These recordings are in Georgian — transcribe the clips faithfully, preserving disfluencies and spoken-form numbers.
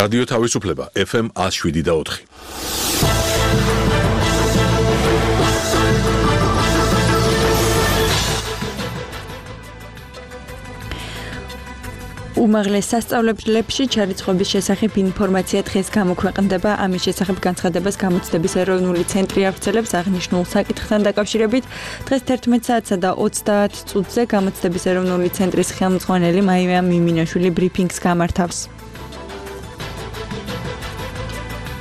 რადიო თავისუფლება ეფ ემ one oh seven და four. უმაღლეს სასწავლებლებში ჩარიცხვის შესახებ ინფორმაცია დღეს გამოქვეყნდება. ამის შესახებ განცხადებას გამოცდების ეროვნული ცენტრი აღწევს აღნიშნულ საკითხთან დაკავშირებით. დღეს თერთმეტ საათსა და ოცდაათ წუთზე გამოცდების ეროვნული ცენტრის ხელმძღვანელი მაია მიმინაშვილი ბრიფინგს გამართავს.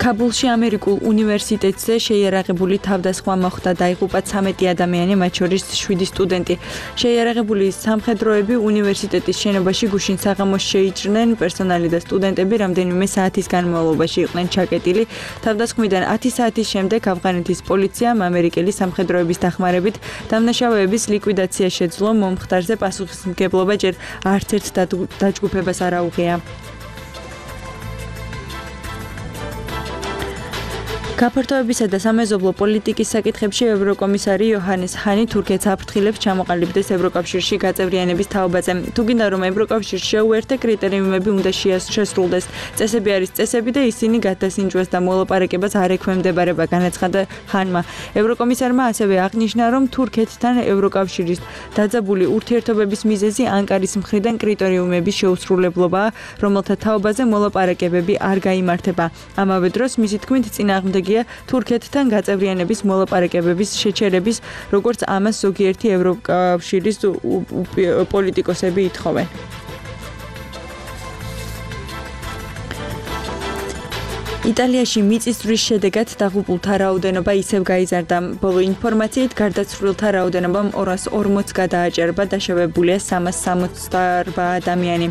ქაბულში ამერიკულ უნივერსიტეტზე შეიარაღებული თავდასხმა მოხდა, დაიღუპა ცამეტი ადამიანი, მათ შორის შვიდი სტუდენტი. შეიარაღებული სამხედროები უნივერსიტეტის შენობაში გუშინ საღამოს შეიჭრნენ, პერსონალი და სტუდენტები რამდენიმე საათის განმავლობაში იყვნენ ჩაკეტილი. თავდასხმიდან ათი საათის შემდეგ ავღანეთის პოლიციამ ამერიკელი სამხედროების დახმარებით დამნაშავეების ლიკვიდაცია შეძლო. მომხდარზე პასუხისმგებლობა ჯერ არც ერთ დაჯგუფებას არ აუღია. გაფართოებისა და სამეზობლო პოლიტიკის საკითხებში ევროკომისარი იოჰანეს ჰანი თურქეთს აფრთხილებს ჩამოყალიბდეს ევროკავშირში გაწევრიანების თაობაზე. თუ გინდა რომ ევროკავშირში შეუერთე კრიტერიუმები უნდა შესრულდეს. წესები არის წესები და ისინი გადასინჯვას და მოლაპარაკებას არ ექვემდებარება, განაცხადა ჰანმა. ევროკომისარმა ასევე აღნიშნა, რომ თურქეთთან ევროკავშირის დაძაბული ურთიერთობების მიზეზი ანკარის მხრიდან კრიტერიუმების შეუსრულებლობაა, რომელთა თაობაზე მოლაპარაკებები არ გაიმართება. ამავე დროს მისი თქმით წინააღმდეგი თურქეთთან გაწევრიანების მოლაპარაკებების შეჩერების, როგორც ამას ზოგიერთი ევროკავშირის პოლიტიკოსები ითხოვენ. იტალიაში მიწისძვრის შედეგად დაღუპულთა რაოდენობა ისევ გაიზარდა. ბოლო ინფორმაციით გარდაცვლილთა რაოდენობამ ორას ორმოც გადააჭერბა, დაშავებულია სამას სამოცდაორბა ადამიანი.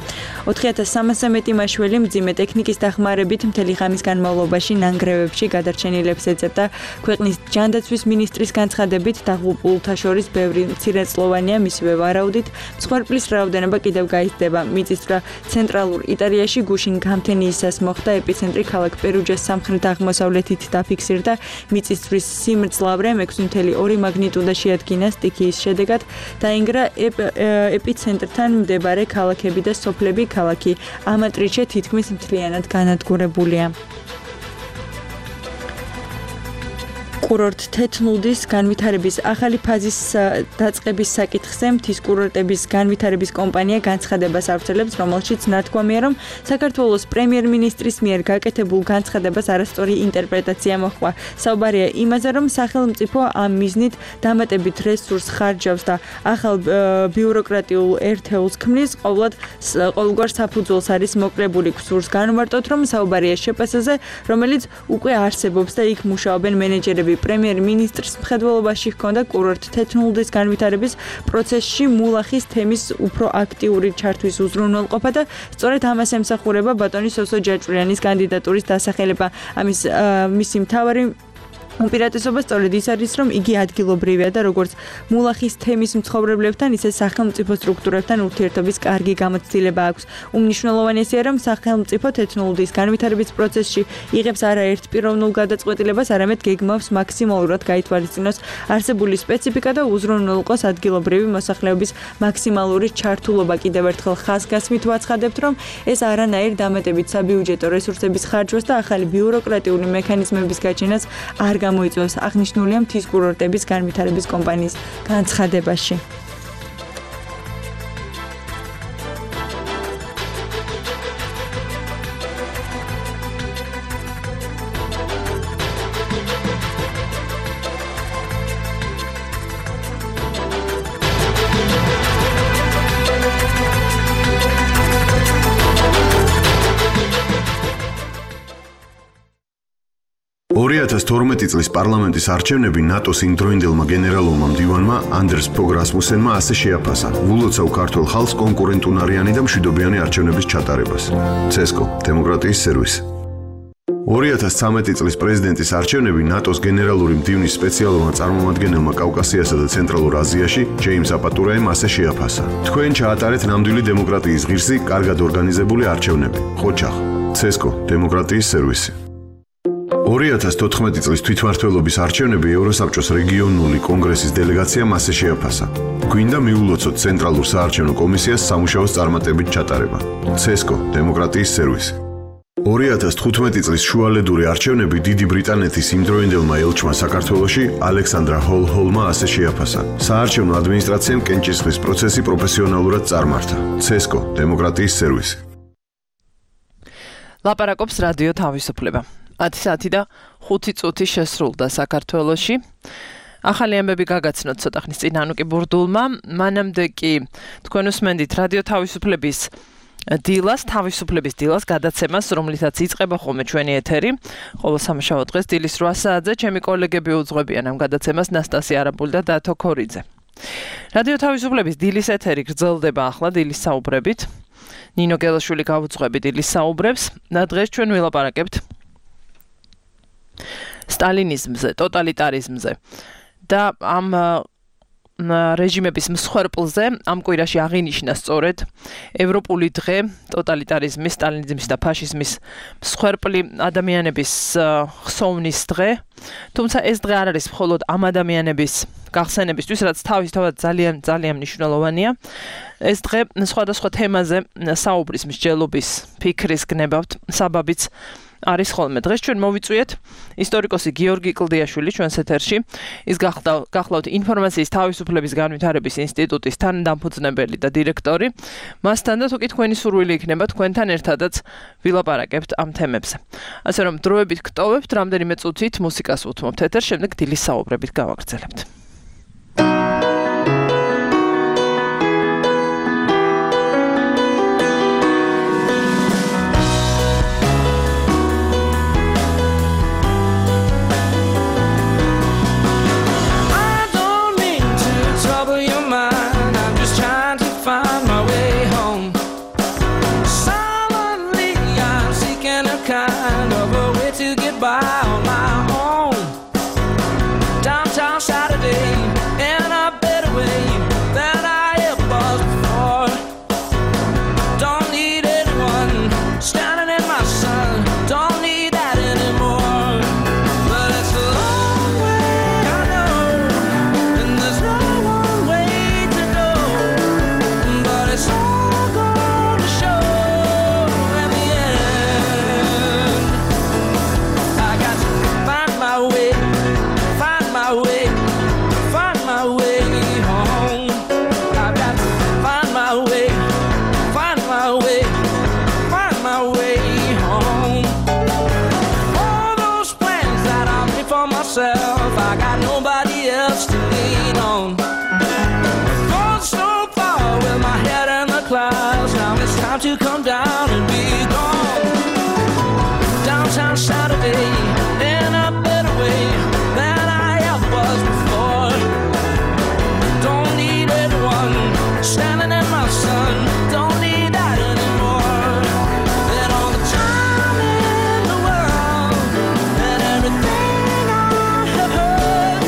ოთხი ათას სამასზე მეტი მაშველი მძიმე ტექნიკის დახმარებით მთელი ღამის განმავლობაში ნანგრევებში გადარჩენილებს ეძებდა. ქვეყნის ჯანდაცვის მინისტრის განცხადებით დაღუპულთა შორის ბევრი მცირეწლოვანია, მისივე ვარაუდით მსხვერპლის რაოდენობა კიდევ გაიზრდება. მიწისძვრა ცენტრალურ იტალიაში გუშინ გამთენიისას მოხდა, ეპიცენტრი ქალაქ პერუჯას სამხრეთ აღმოსავლეთით დაფიქსირდა. მიწისძვრის სიმძლავრე ექვსი წუთი ორი მაგნიტუდა შეადგინა. სტიქიის შედეგად დაინგრა ეპიცენტრთან მდებარე ქალაქები და სოფლები. ქალაქი ამატრიჩე თითქმის მთლიანად განადგურებულია. კურორტ თეთნუდის განვითარების ახალი ფაზის დაწყების საკითხზე მთის კურორტების განვითარების კომპანია განცხადებას ავრცელებს, რომელშიც ნათქვამია, რომ საქართველოს პრემიერ-მინისტრის მიერ გაკეთებულ განცხადებას არასწორი ინტერპრეტაცია მოჰყვა. საუბარია იმაზე, რომ სახელმწიფო ამ მიზნით დამატებით რესურს ხარჯავს და ახალ ბიუროკრატიულ ერთეულს ქმნის, ყოვლად ყოველგვარ საფუძველს არის მოკრებული. გსურს განვარტოთ, რომ საუბარია შეპასაზე, რომელიც უკვე არსებობს და იქ მუშაობენ მენეჯერები. პრემიერ-მინისტრს მხედველობაში ჰქონდა კურორტ თეთნუდის განვითარების პროცესში მულახის თემის უფრო აქტიური ჩართვის უზრუნველყოფა და სწორედ ამას ემსახურება ბატონი სოსო ჯაჭვრიანის კანდიდატურის დასახელება. ამის მისი მთავარი უპირატესობა სწორედ ის არის, რომ იგი ადგილობრივია და როგორც მულახის თემის მცხოვრებლებთან, ისე სახელმწიფო სტრუქტურებთან ურთიერთობის კარგი გამოცდილება აქვს. უმნიშვნელოვანესია, რომ სახელმწიფო თეთნუდის განვითარების პროცესში იღებს არა ერთ პიროვნულ გადაწყვეტილებას, არამედ გეგმავს მაქსიმალურად გაითვალისწინოს არსებული სპეციფიკა და უზრუნველყოს ადგილობრივი მოსახლეობის მაქსიმალური ჩართულობა. კიდევ ერთხელ ხაზგასმით ვაცხადებთ, რომ ეს არანაირ დამატებით საბიუჯეტო რესურსების ხარჯვას და ახალი ბიუროკრატიული მექანიზმების გაჩენას არ გამოიწვევს, აღნიშნულია მთის კურორტების განვითარების კომპანიის განცხადებაში. ორი ათას თორმეტი წლის პარლამენტის არჩევნები ნატოს იმდროინდელმა გენერალურმა მდივანმა ანდერს ფოგ რასმუსენმა ასე შეაფასა ულოცავ ქართულ ხალხს კონკურენტუნარიანი და მშვიდობიანი არჩევნების ჩატარებას. ცესკო, დემოკრატიის სერვისი. ორი ათას ცხრამეტი წლის პრეზიდენტის არჩევნები ნატოს გენერალური მდივნის სპეციალურმა წარმომადგენელმა კავკასიასა და ცენტრალურ აზიაში ჯეიმს აპატურაემ ასე შეაფასა. თქვენ ჩაატარეთ ნამდვილი დემოკრატიის ღირსი, კარგად ორგანიზებული არჩევნები. ხოჩახ, ცესკო, დემოკრატიის სერვისი. ორი ათას თოთხმეტი წლის თვითმმართველობის არჩევნები ევროსაბჭოს რეგიონული კონგრესის დელეგაციამ ასე შეაფასა. გვინდა მიულოცოთ ცენტრალურ საარჩევნო კომისიას სამუშაოს წარმატებით ჩატარება. ცესკო, დემოკრატიის სერვისი. ორი ათას თხუთმეტი წლის შუალედური არჩევნები დიდი ბრიტანეთის იმდროინდელმა ელჩმა საქართველოში ალექსანდრა ჰოლ-ჰოლმა ასე შეაფასა. საარჩევნო ადმინისტრაციამ კენჭისყრის პროცესი პროფესიონალურად წარმართა. ცესკო, დემოკრატიის სერვისი. ლაპარაკობს რადიო თავისუფლება. ათი საათი და ხუთი წუთი შესრულდა საქართველოში. ახალი ამბები გაგაცნოთ ცოტა ხნის წინ ანუკი ბურდულმა. მანამდე კი თქვენ უსმენდით რადიო თავისუფლების დილას, თავისუფლების დილას გადაცემას, რომლითაც იწყება ხოლმე ჩვენი ეთერი. ყოველ სამშაბათ დღეს დილის რვა საათზე ჩემი კოლეგები უძღვებიან ამ გადაცემას ნასტასია არაბული და დათო ქორიძე. რადიო თავისუფლების დილის ეთერი გრძელდება ახლა დილის საუბრებით. ნინო გელაშვილი გავუძღვები დილის საუბრებს და დღეს ჩვენ ვილაპარაკებთ სტალინიზმზე, ტოტალიტარიზმზე და ამ რეჟიმების მსხვერპლზე ამ კვირაში აღინიშნა სწორედ ევროპული დღე ტოტალიტარიზმის, სტალინიზმის და ფაშიზმის მსხვერპლი ადამიანების ხსოვნის დღე. თუმცა ეს დღე არ არის მხოლოდ ამ ადამიანების გახსენებისთვის, რაც თავისთავად ძალიან ძალიან მნიშვნელოვანია. ეს დღე სხვადასხვა თემაზე საუბრის, მსჯელობის, ფიქრის გნებავთ საბაბიც არის ხოლმე. დღეს ჩვენ მოვიწვიეთ ისტორიკოსი გიორგი კლდიაშვილი ჩვენს ეთერში. ის გახლავთ ინფორმაციის თავისუფლების განვითარების ინსტიტუტის თანდამფუძნებელი და დირექტორი. მასთან და თუ კი თქვენი სურვილი იქნება, თქვენთან ერთადაც ვილაპარაკებთ ამ თემებზე. ასე რომ დროებით გტოვებთ, რამდენიმე წუთით მუსიკას უთმობთ ეთერს, შემდეგ დილის საუბრებით გავაგრძელებთ. To come down and be gone. Downtown Saturday in a better way than I ever was before. Don't need anyone standing in my sun. Don't need that anymore. And all the time in the world and everything I have heard,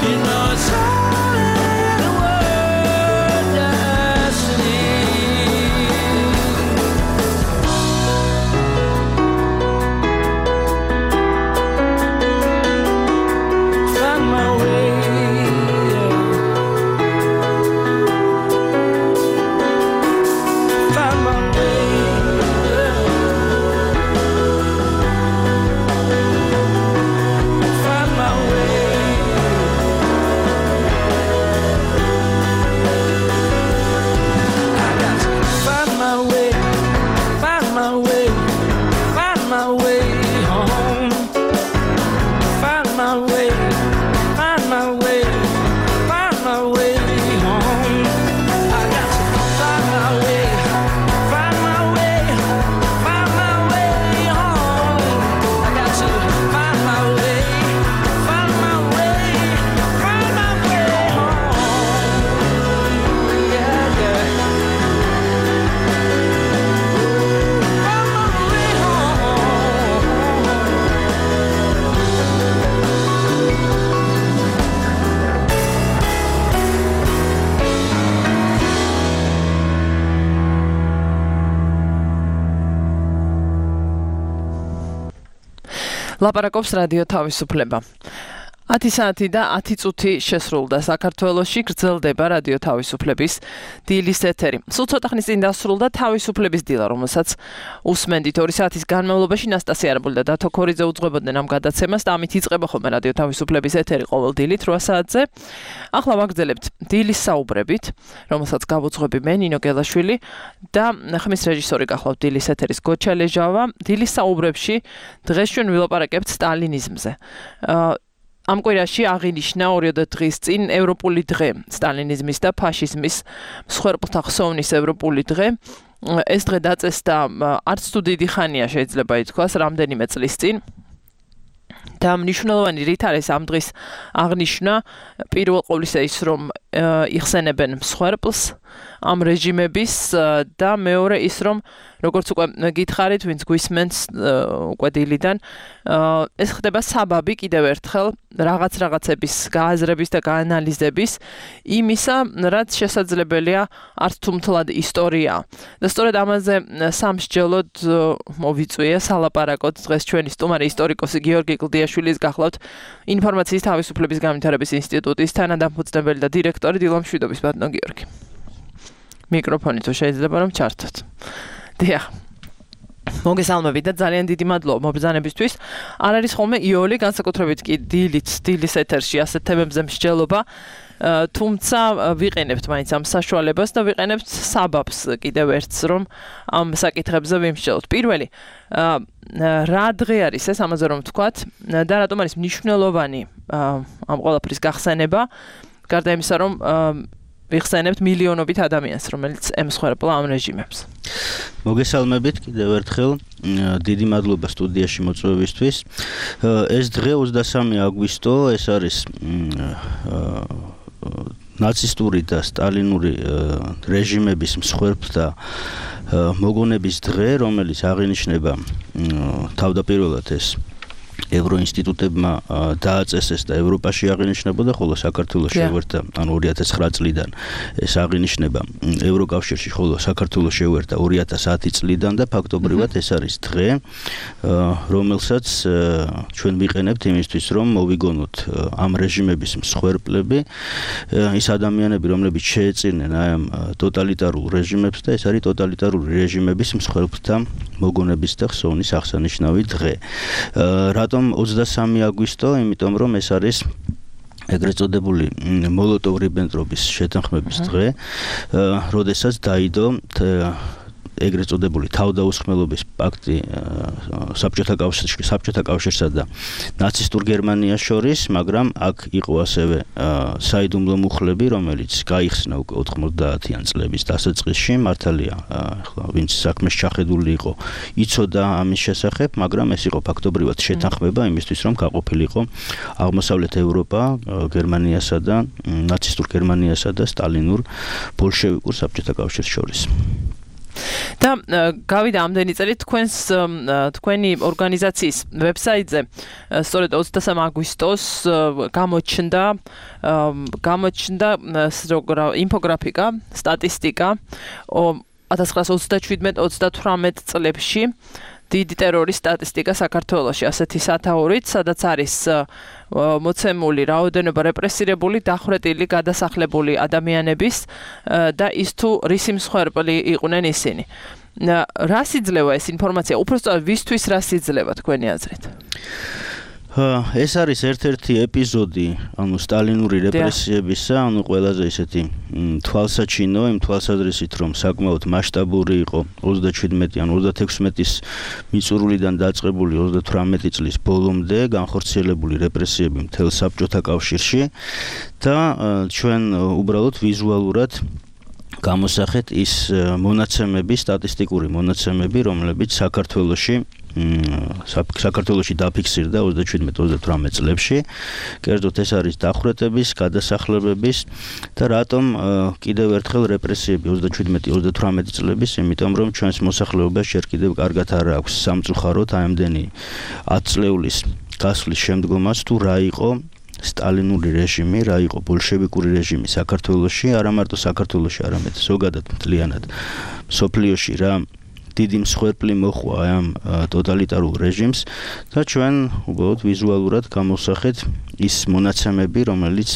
you know it's all in the word destiny. ლაპარაკობს რადიო თავისუფლება. ათი საათი და ათი წუთი შესრულდა საქართველოში გრძელდება რადიო თავისუფლების დილის ეთერი. სულ ცოტა ხნის წინ დასრულდა თავისუფლების დილა, რომელსაც უსმენდით ორი საათის განმავლობაში ნასტასია არაბული და დათო ქორიძე უძღვებოდნენ ამ გადაცემას და ამით იწყება ხოლმე რადიო თავისუფლების ეთერი ყოველ დილით რვა საათზე. ახლა ვაგრძელებთ დილის საუბრებით, რომელსაც გავუძღვები მე ნინო გელაშვილი და ხმის რეჟისორი გახლავთ დილის ეთერის გოჩა ლეჟავა. დილის საუბრებში დღეს ჩვენ ვილაპარაკებთ სტალინიზმზე. ამ კვირაში აღინიშნა ორიოდე დღის წინ ევროპული დღე სტალინიზმის და ფაშიზმის მსხვერპლთა ხსოვნის ევროპული დღე. ეს დღე დაწესდა არც თუ დიდი ხანია შეიძლება ითქვას, რამდენიმე წლის წინ. და მნიშვნელოვანი რით არის ამ დღის აღნიშვნა პირველ ყოვლისა ის რომ იხსენებენ მსხვერპლს ამ რეჟიმების და მეორე ის რომ როგორც უკვე გითხარით ვინც გვისმენს უკვე დილიდან ეს ხდება საბაბი კიდევ ერთხელ რაღაც რაღაცების გააზრების და გაანალიზების იმისა რაც შესაძლებელია არც თუ მთლად ისტორია და სწორედ ამაზე სამსჯელოდ მოვიწვია სალაპარაკოთ დღეს ჩვენი სტუმარი ისტორიკოსი გიორგი კლდიაშვილის გახლავთ ინფორმაციის თავისუფლების განვითარების ინსტიტუტის თანადამფუძნებელი და დირექტორი დილა მშვიდობის ბატონო გიორგი მიკროფონი თუ შეიძლება რომ ჩართოთ. დიახ. მოგესალმებით და ძალიან დიდი მადლობა მობრძანებისთვის. არ არის ხოლმე იოლი განსაკუთრებით კი დილით, დილის ეთერში ასეთ თემებზე მსჯელობა. თუმცა ვიყენებთ მაინც ამ საშუალებას და ვიყენებთ საბაბს კიდევ ერთს რომ ამ საკითხებზე ვიმსჯელოთ. პირველი რა დღე არის ეს ამაზე რომ ვთქვათ და რატომ არის მნიშვნელოვანი ამ ყველაფრის გახსენება გარდა იმისა რომ ვიხსენებთ მილიონობით ადამიანს, რომელიც ემსხვერპლა ამ რეჟიმებს. მოგესალმებით კიდევ ერთხელ. დიდი მადლობა სტუდიაში მოწვევისთვის. ეს დღე ოცდასამი აგვისტო, ეს არის ნაცისტური და სტალინური რეჟიმების მსხვერპლთა მოგონების დღე, რომელიც აღინიშნება თავდაპირველად ეს ევროინსტიტუტებმა დააწესეს და ევროპაში აღინიშნებოდა, ხოლო საქართველოში შევერთა, ანუ ორი ათას ცხრა წლიდან ეს აღინიშნება ევროკავშირში, ხოლო საქართველოს შევერთა ორი ათას ათი წლიდან და ფაქტობრივად ეს არის დღე, რომელსაც ჩვენ ვიყენებთ იმისთვის, რომ მოვიგონოთ ამ რეჟიმების მსხვერპლები, ის ადამიანები, რომლებიც შეეწირნენ აი ამ ტოტალიტარულ რეჟიმებს და ეს არის ტოტალიტარული რეჟიმების მსხვერპლთა მოგონების და ხსოვნის აღსანიშნავი დღე. რატომ ოცდასამი აგვისტო? იმიტომ რომ ეს არის ეგრეთ წოდებული მოლოტოვ-რიბენტროპის შეთანხმების დღე, როდესაც დაიდო ეგრეთ წოდებული თავდაუსხმელობის პაქტი საბჭოთა კავშირში, საბჭოთა კავშირსა და ნაცისტურ გერმანიას შორის, მაგრამ აქ იყო ასევე საიდუმლო მუხლები, რომელიც გაიხსნა უკვე ოთხმოცდაათიან წლების დასაწყისში, მართალია, ახლა ვინც საქმეს ჩახედული იყო, იცოდა ამის შესახებ, მაგრამ ეს იყო ფაქტობრივად შეთანხმება იმისთვის, რომ გაყოფილიყო აღმოსავლეთ ევროპა გერმანიასა და ნაცისტურ გერმანიასა და სტალინურ ბოლშევიკურ საბჭოთა კავშირს შორის. და გავიდა ამდენი წელი თქვენს თქვენი ორგანიზაციის ვებსაიტზე სწორედ ოცდასამი აგვისტოს გამოჩნდა გამოჩნდა ინფოგრაფიკა, სტატისტიკა ათას ცხრაას ოცდაშვიდმეტ ოცდათვრამეტ წლებში დიდი ტერორის სტატისტიკა საქართველოში ასეთი სათაურით, სადაც არის მოცემული რაოდენობა რეპრესირებული, დახვრეტილი, გადასახლებული ადამიანების და ის თუ რისი მსხვერპლი იყვნენ ისინი. რას იძლევა ეს ინფორმაცია? უпростоად ვისთვის რას იძლევა თქვენი აზრით? ეს არის ერთ-ერთი ეპიზოდი, ანუ სტალინური რეპრესიებისა, ანუ ყველაზე ისეთი თვალსაჩინო, იმ თვალსაზრისით, რომ საკმაოდ მასშტაბური იყო ოცდაშვიდმეტი ან ოცდათექვსმეტის მიწურულიდან დაწყებული ოცდათვრამეტი წლის ბოლომდე განხორციელებული რეპრესიები მთელ საბჭოთა კავშირში და ჩვენ უბრალოდ ვიზუალურად გამოსახეთ ის მონაცემები, სტატისტიკური მონაცემები, რომლებიც საქართველოში საქართველოში დაფიქსირდა ოცდაშვიდმეტ ოცდათვრამეტ წლებში. კერძოდ ეს არის დახვრეტების, გადასახლებების და რატომ კიდევ ერთხელ რეპრესიები ოცდაშვიდმეტი ოცდათვრამეტი წლების, იმიტომ რომ ჩვენს მოსახლეობას ჯერ კიდევ კარგად არ აქვს სამწუხაროდ აი ამდენი ათი წლეულის გასვლის შემდგომაც თუ რა იყო სტალინური რეჟიმი, რა იყო ბოლშევიკური რეჟიმი საქართველოში, არა მარტო საქართველოში, არამედ ზოგადად მთლიანად მსოფლიოში რა დიდი მსხვერპლი მოხვა ამ ტოტალიტარულ რეჟიმს და ჩვენ უბრალოდ ვიზუალურად გამოვსახეთ ის მონაცემები, რომელიც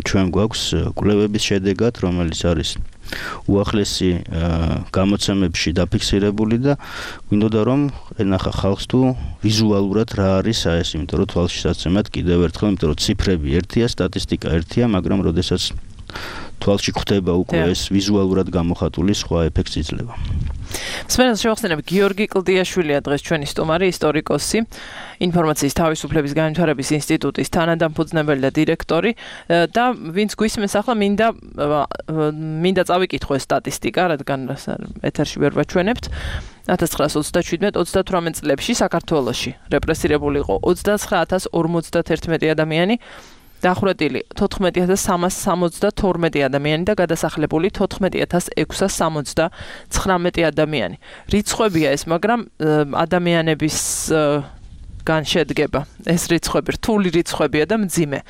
ჩვენ გვაქვს კვლევების შედეგად, რომელიც არის უახლესი გამოცემებში დაფიქსირებული და გვინდოდა რომ ენახა ხალხს თუ ვიზუალურად რა არის ეს, იმიტომ რომ თვალშისაცემად კიდევ ერთხელ, იმიტომ რომ ციფრები ერთია, სტატისტიკა ერთია, მაგრამ როდესაც თვალში ხვდება უკვე ეს ვიზუალურად გამოხატული სხვა ეფექტს იძლევა. სპეციალურად შევახსენებ გიორგი კლდიაშვილია დღეს ჩვენი სტუმარი, ისტორიკოსი, ინფორმაციის თავისუფლების განვითარების ინსტიტუტის თანადამფუძნებელი და დირექტორი და ვინც გვისმენს ახლა მინდა მინდა წავიკითხო ეს სტატისტიკა, რადგან ეთერში ვერ ვაჩვენებთ. ათას ცხრაას ოცდაშვიდმეტ ოცდათვრამეტ წლებში საქართველოში რეპრესირებული იყო ოცდაცხრა ათას ორმოცდაათერთმეტი ადამიანი, დახვრეტილი თოთხმეტი ათას სამას სამოცდათორმეტი ადამიანი და გადასახლებული თოთხმეტი ათას ექვსას სამოცდაცხრამეტი ადამიანი. რიცხვებია ეს, მაგრამ ადამიანების გან შედგება ეს რიცხვები, რთული რიცხვებია და მძიმე.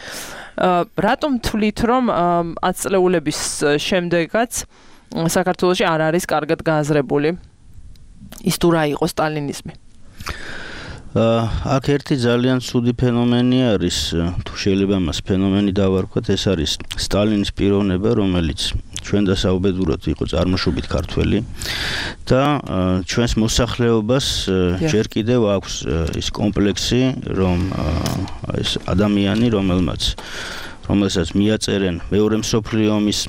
რატომ თვლით, რომ ათწლეულების შემდეგაც საქართველოში არ არის კარგად გააზრებული ის თუ რა იყო სტალინიზმი? აქ ერთი ძალიან ცუდი ფენომენი არის, თუ შეიძლება მას ფენომენი დავარქვათ, ეს არის სტალინის პიროვნება, რომელიც ჩვენ დასაუბედუროთ იყო წარმოშობით ქართველი და ჩვენს მოსახლეობას ჯერ კიდევ აქვს ის კომპლექსი, რომ ეს ადამიანი, რომელმაც რომელსაც მიაწერენ მეორე მსოფლიო ომის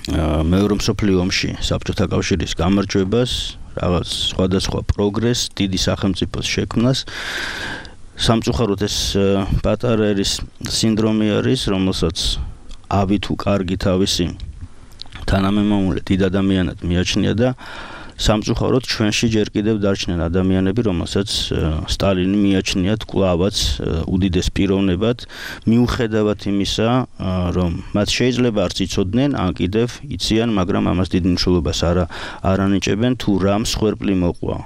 მეორე მსოფლიო ომში საბჭოთა კავშირის გამარჯვებას, რაღაც სხვადასხვა პროგრესს, დიდი სახელმწიფოს შექმნას. სამწუხაროდ ეს პატარა ერის სინდრომი არის, რომელსაც ავი თუ კარგი თავისი თანამემამულე დიდ ადამიანად მიაჩნია და სამწუხაროდ ჩვენში ჯერ კიდევ დარჩნენ ადამიანები, რომელსაც სტალინი მიაჩნიათ კვლავაც უდიდეს პიროვნებად, მიუხედავად იმისა, რომ მათ შეიძლება არც იცოდნენ, ან კიდევ იციან, მაგრამ ამას დიდ მნიშვნელობას არ არ ანიჭებენ, თუ რა მსხვერპლი მოყვა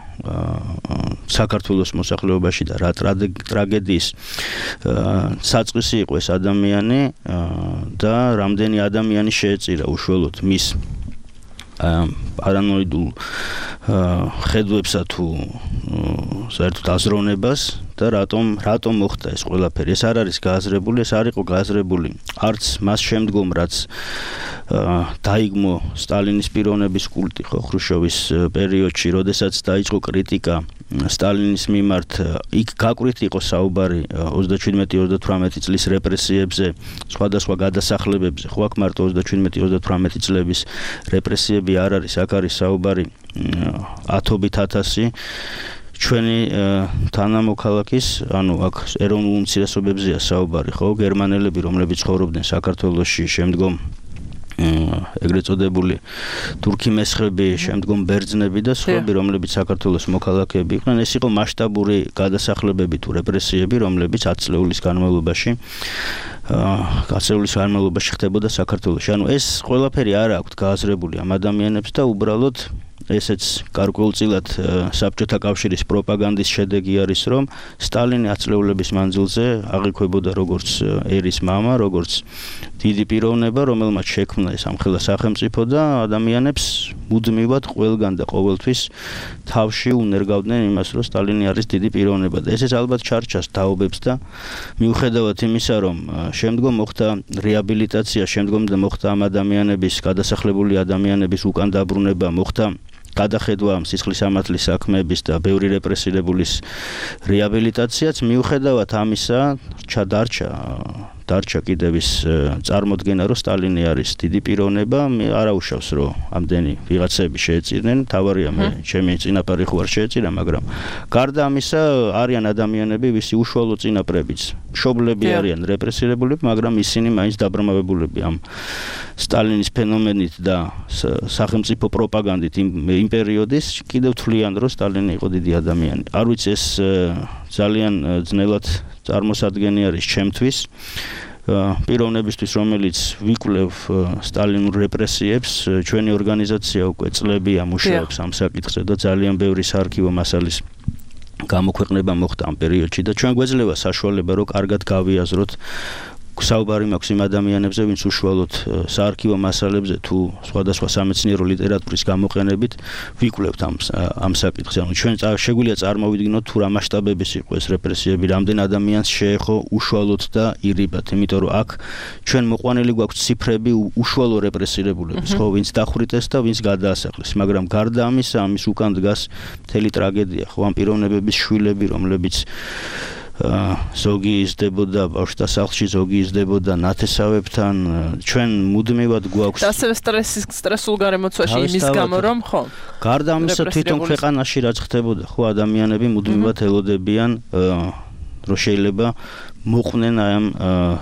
საქართველოს მოსახლეობაში და რა ტრაგედიის საწყისი იყო ეს ადამიანი და რამდენი ადამიანი შეეწირა უშუალოდ მის პარანოიდულ ხედვებსა თუ საერთოდ აზროვნებას და რატომ რატომ მოხდა ეს ყველაფერი. ეს არ არის გააზრებული, ეს არ იყო გააზრებული არც მას შემდგომ, რაც დაიგმო სტალინის პიროვნების კულტი ხო ხრუშჩოვის პერიოდში, როდესაც დაიწყო კრიტიკა სტალინის მიმართ, იქ გაკვირით იყო საუბარი ოცდაშვიდმეტი ოცდათვრამეტი წლის რეპრესიებზე, სხვადასხვა გადასახლებებზე, ხო აქ მარტო ოცდაშვიდმეტი ოცდათვრამეტი წლების რეპრესიები არ არის, აქ არის საუბარი ათობით ათასი ჩვენი თანამოქალაქის, ანუ აქ ეროვნულ უმცირესობებზეა საუბარი, ხო, გერმანელები, რომლებიც ცხოვრობდნენ საქართველოში, შემდგომ ეგრეთ წოდებული თურქი მესხები, შემდგომ ბერძნები და სხვები, რომლებიც საქართველოს მოქალაქეები იყვნენ, ეს იყო მასშტაბური გადასახლებები თუ რეპრესიები, რომლებიც ათი წლეულის განმავლობაში ათი წლეულის განმავლობაში ხდებოდა საქართველოში. ანუ ეს ყველაფერი არ აქვთ გააზრებული ამ ადამიანებს და უბრალოდ ესეც გარკვეულწილად საბჭოთა კავშირის პროპაგანდის შედეგი არის, რომ სტალინი ათი წლეულების მანძილზე აღიქვებოდა როგორც ერის მამა, როგორც დიდი პიროვნება, რომელმაც შექმნა ეს ამხელა სახელმწიფო და ადამიანებს მუდმივად ყველგან და ყოველთვის თავში უნერგავდნენ იმას, რომ სტალინი არის დიდი პიროვნება და ესეც ალბათ ჩარჩას თაობებს და მიუხედავად იმისა, რომ შემდგომ მოხდა რეაბილიტაცია, შემდგომ მოხდა ამ ადამიანების, გადასახლებული ადამიანების უკან დაბრუნება, მოხდა გადახედვა სისხლის სამართლის საქმეების და ბევრი რეპრესირებულის რეაბილიტაციაც, მიუხედავად ამისა ჩადარჩა დარჩა კიდევ ის წარმოდგენა, რომ სტალინი არის დიდი პიროვნება, არაუშავს, რომ ამდენი ვიღაცები შეეწირნენ, თავარია მე ჩემი წინაპარი ხო არ შეეწირა, მაგრამ გარდა ამისა არიან ადამიანები, ვისი უშუალო წინაპრებიც მშობლები არიან რეპრესირებულები, მაგრამ ისინი მაინც დაბრმავებულები ამ სტალინის ფენომენით და სახელმწიფო პროპაგანდით იმ პერიოდის, კიდევ თვლიან, რომ სტალინი იყო დიდი ადამიანი. არ ვიცი, ეს ძალიან ძნელად წარმოსადგენი არის ჩემთვის პიროვნებისთვის, რომელიც ვიკვლევ სტალინურ რეპრესიებს, ჩვენი ორგანიზაცია უკვე წლებია მუშაობს ამ საკითხზე და ძალიან ბევრი საარქივო მასალის გამოქვეყნება მოხდა ამ პერიოდში და ჩვენ გვეძლევა საშუალება, რომ კარგად გავიაზროთ საუბარი მაქვს იმ ადამიანებზე, ვინც უშუალოდ საარქივო მასალებზე თუ სხვადასხვა სამეცნიერო ლიტერატურის გამოყენებით ვიკვლევთ ამ ამ საკითხს. ანუ ჩვენ შეგვიძლია წარმოვიდგინოთ თუ რა მასშტაბების იყო ეს რეპრესიები, რამდენ ადამიანს შეეხო უშუალოდ და ირიბად, იმიტომ რომ აქ ჩვენ მოყვანილი გვაქვს ციფრები უშუალო რეპრესირებულების, ხო, ვინც დახვრიტეს და ვინც გადაასახლეს, მაგრამ გარდა ამისა, ამის უკან დგას მთელი ტრაგედია, ხო, ამ პიროვნებების შვილები, რომლებიც ზოგი იზრდებოდა ბავშვთა სახლში, ზოგი იზრდებოდა ნათესავებთან, ჩვენ მუდმივად გვაქვს ასევე სტრესის სტრესულ გარემოცვაში იმის გამო რომ ხო გარდა ამისა თვითონ ქვეყანაში რაც ხდებოდა, ხო, ადამიანები მუდმივად ელოდებიან რომ შეიძლება მოყვნენ აი ამ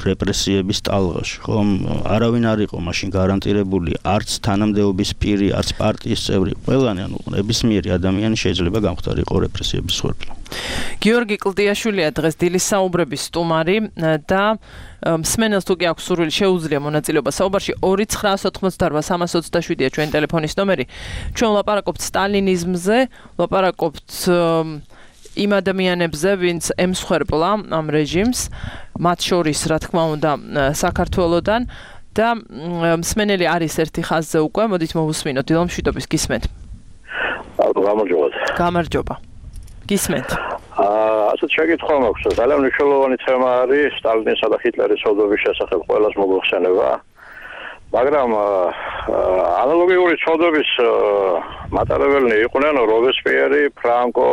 რეპრესიების ტალღაში, ხო, არავინ არ იყო მაშინ გარანტირებული, არც თანამდებობის პირი, არც პარტიის წევრი, ყველანი, ანუ ნებისმიერი ადამიანი შეიძლება გამختارიყო რეპრესიების მსხვერპლი. გიორგი კლდიაშვილია დღეს დილის საუბრების სტუმარი და მსმენელს თუ კი აქვს სურვილი შეუძლია მონაწილეობა საუბარში ორი ცხრა ოთხმოცდაოთხ სამას ოცდაშვიდია ჩვენი ტელეფონის ნომერი. ჩვენ ვლაპარაკობთ სტალინიზმზე, ვლაპარაკობთ იმ ადამიანებზე, ვინც ემსხვერპლა ამ რეჟიმს, მათ შორის, რა თქმა უნდა, საქართველოდან და მსმენელი არის ერთი ხაზზე უკვე, მოდით მოვუსმინოთ, დილო მშვიდობის, გისმენთ. გამარჯობა. გამარჯობა. გისმენთ. აა, ასეთ შეკითხვა მაქვს. ძალიან მნიშვნელოვანი თემა არის სტალინისა და ჰიტლერის ცოდვების შესახებ ყველას მოგვიხსენება. მაგრამ ანალოგიური ცოდვების მატარებელნი იყვნენ რობესპიერი, ფრანკო,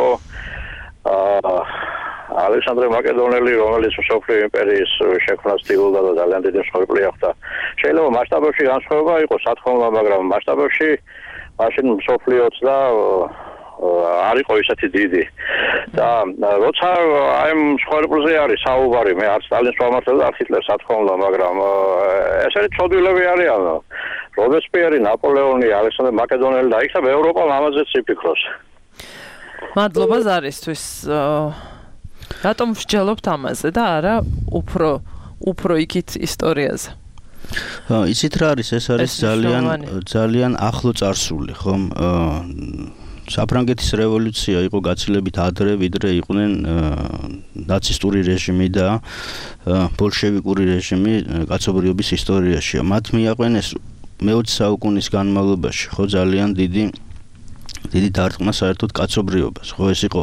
ალექსანდრე მაკედონელი, რომელიც მსოფლიო იმპერიის შექმნას ცდილობდა და ძალიან დიდი მსხვერპლი ახდა. შეიძლება მასშტაბებში განსხვავება იყოს, სათქმელად, მაგრამ მასშტაბებში მაშინ მსოფლიოც და არ იყო ისეთი დიდი. და როცა აი ამ მსხვერპლზე არის საუბარი, მე არ სტალინს ვამართლებ და არ ჰიტლერს, სათქმელად, მაგრამ ესეთი ცოდვილები არიან. რობესპიერი, ნაპოლეონი, ალექსანდრე მაკედონელი და იქ და ევროპა ამაზეც იფიქროს. მადლობა ზარისთვის. რატომ ვსჯელობთ ამაზე და არა უფრო უფრო იქით ისტორიაზე? იცით რა არის, ეს არის ძალიან ძალიან ახლო წარსული, ხომ? საფრანგეთის რევოლუცია იყო გაცილებით ადრე, ვიდრე იყვნენ ნაცისტური რეჟიმი და ბოლშევიკური რეჟიმი კაცობრიობის ისტორიაში. მათ მიაყვენეს მეოცე საუკუნის განმავლობაში, ხო, ძალიან დიდი დიდი დარტყმა საერთოდ კაცობრიობას, ხო, ეს იყო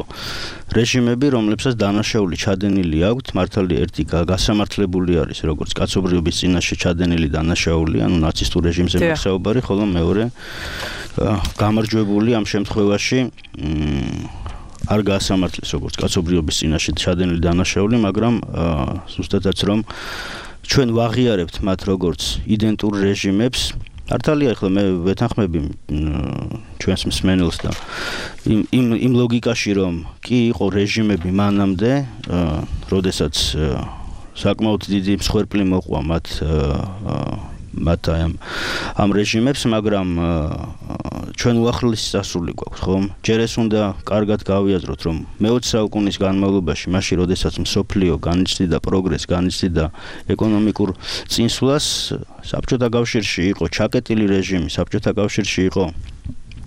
რეჟიმები, რომლებსაც დანაშაული ჩადენილი აქვთ, მართალი ერთი გასამართლებული არის, როგორც კაცობრიობის წინაშე ჩადენილი დანაშაული, ანუ ნაცისტურ რეჟიმზე მოგსაუბარი, ხოლო მეორე გამარჯვებული ამ შემთხვევაში არ გაასამართლეს როგორც კაცობრიობის წინაშე ჩადენილი დანაშაული, მაგრამ ზუსტადაც რომ ჩვენ ვაღიარებთ მათ როგორც იდენტურ რეჟიმებს. მართალია, ახლა მე ვეთანხმები ჩვენს მსმენელს და იმ იმ იმ ლოგიკაში, რომ კი იყო რეჟიმები მანამდე, როდესაც საკმაოდ დიდი მსხვერპლი მოყვა მათ მათ ამ ამ რეჟიმებს, მაგრამ ჩვენ უახლესი სასული გვაქვს, ხომ? ჯერ ეს უნდა კარგად გავიაზროთ, რომ მეოცე საუკუნის განმავლობაში, მაშინ როდესაც მსოფლიო განიცდიდა პროგრესს, განიცდიდა ეკონომიკურ წინსვლას, საბჭოთა კავშირში იყო ჩაკეტილი რეჟიმი, საბჭოთა კავშირში იყო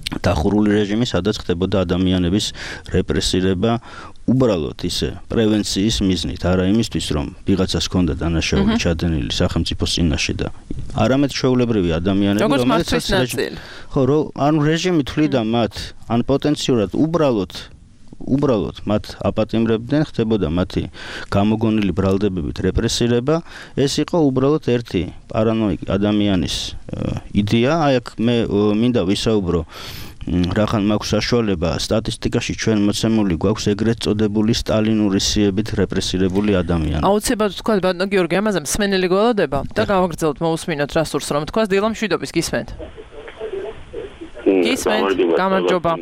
დახურული რეჟიმი, სადაც ხდებოდა ადამიანების რეპრესირება უბრალოდ ისე პრევენციის მიზნით, არა იმისთვის, რომ ვიღაცას ჰქონდა დანაშაული ჩადენილი სახელმწიფოს წინაშე და არამედ ჩვეულებრივი ადამიანები, რომელსაც ხო, ანუ რეჟიმი თვლიდა მათ, ან პოტენციურად უბრალოდ უბრალოდ მათ აპატიმრებდნენ, ხდებოდა მათი გამოგონილი ბრალდებებით რეპრესირება, ეს იყო უბრალოდ ერთი პარანოიკი ადამიანის იდეა. აი აქ მე მინდა ვისაუბრო, რახან მაქვს საშუალება, სტატისტიკაში ჩვენ მოცემული გვაქვს ეგრეთ წოდებული სტალინური სიებით რეპრესირებული ადამიანები. აუცილებლად თქვა ბატონო გიორგი, ამაზე მსმენელი გველოდება და გავაგრძელოთ, მოусმინოთ რა სურს რომ თქვას, დილო მშვიდობის, გისმენთ. გისმენთ, გამარჯობა.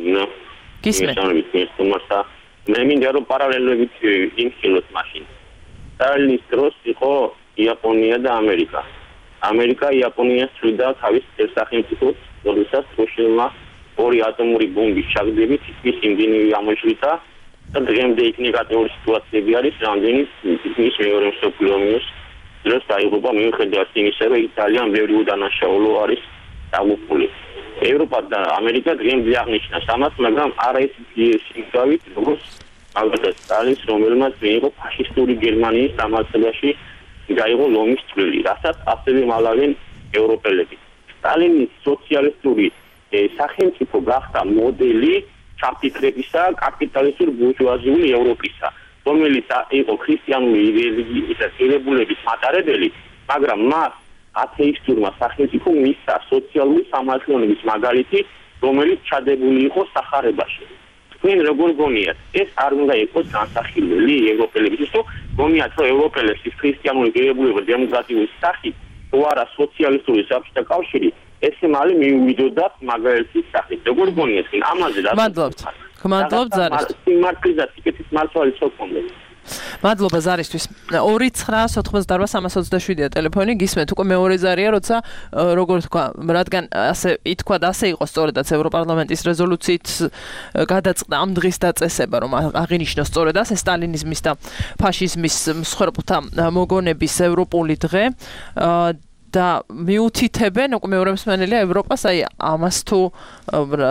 გისმენთ. მე მინდა რომ პარალელობით იმხილოთ მაშინ. სტალინის დროს იყო იაპონია და ამერიკა. ამერიკა იაპონიას ცვლიდა თავის სახელმწიფოს, როდესაც რუსეთმა ორი ატომური ბომბის ჩაგდებით ის იმდენი ამოშლითა და დღემდე იქ ნეგატიური სიტუაციები არის, რამდენიც ის მეორე მსოფლიო ომის დროს დაიღუპა მიუხედავად იმისა, რომ ძალიან ბევრი უდანაშაულო არის დაღუპული. ევროპა და ამერიკა დღემდე აღნიშნავს ამას, მაგრამ არა ის სიმგავით, როგორც ალბათ სტალინს, რომელმაც მიიღო ფაშისტური გერმანიის დამარცხებაში გაიღო ლომის წვლილი, რასაც ასევე მალავენ ევროპელები. სტალინის სოციალისტური სახელმწიფო გახდა მოდელი საფიქრებისა კაპიტალისტური ბურჟუაზიული ევროპისა, რომელიც იყო ქრისტიანული რელიგიის ღირებულების მატარებელი, მაგრამ მას ათეისტურმა სახელმწიფომ მისცა სოციალური სამართლიანობის მაგალითი, რომელიც ჩადებული იყო სახარებაში. თქვენ როგორ გონიათ, ეს არ უნდა იყოს განსახილველი ევროპელებისთვის, თუ გონიათ, რომ ევროპელებს ქრისტიანული ღირებულება დემოკრატიული სახით, თუ არა სოციალისტური საბჭოთა კავშირი, ესე მალე მიუვიდოდათ მაგალითის სახით. როგორ გონიათ, ამაზე რა? მადლობთ. გმადლობთ ზარისთვის. სიმართლისა სიკეთის მართალი სოქონდე. მადლობა ზარისთვის. ორი ცხრა ოთხმოცდაოთხ სამას ოცდაშვიდია ტელეფონი. გისმენთ უკვე მეორე ზარია, როცა როგორ თქვა, რადგან ასე ითქვა და ასე იყო სწორედაც ევროპარლამენტის რეზოლუციით გადაწყდა ამ დღის დაწესება, რომ აღინიშნოს სწორედ ასე სტალინიზმის და ფაშიზმის მსხვერპლთა მოგონების ევროპული დღე. და მიუთითებენ უკვე მეორე მსმენელია ევროპას, აი ამას თუ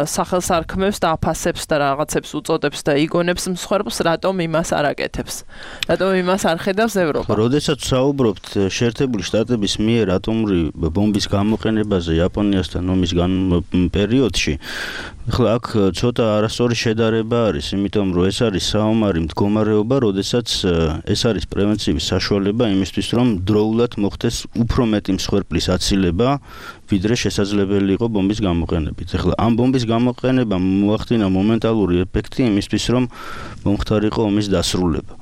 სახელს არქმევს და აფასებს და რაღაცებს უწოდებს და იგონებს მსხვერპლს, რატომ იმას არ აკეთებს? რატომ იმას არ ხედავს ევროპა? როდესაც საუბრობთ შეერთებული შტატების მიერ ატომური ბომბის გამოყენებაზე იაპონიასთან ომის პერიოდში, ახლა აქ ცოტა არასწორი შედარება არის, იმიტომ რომ ეს არის საომარი მდგომარეობა, როდესაც ეს არის პრევენციის საშუალება იმისთვის, რომ დროულად მოხდეს უფრო მეტი მსხვერპლის აცილება, ვიდრე შესაძლებელი იყო ბომბის გამოყენებით. ახლა ამ ბომბის გამოყენება მოახდინა მომენტალური ეფექტი იმისთვის, რომ მომხდარიყო ომის დასრულება.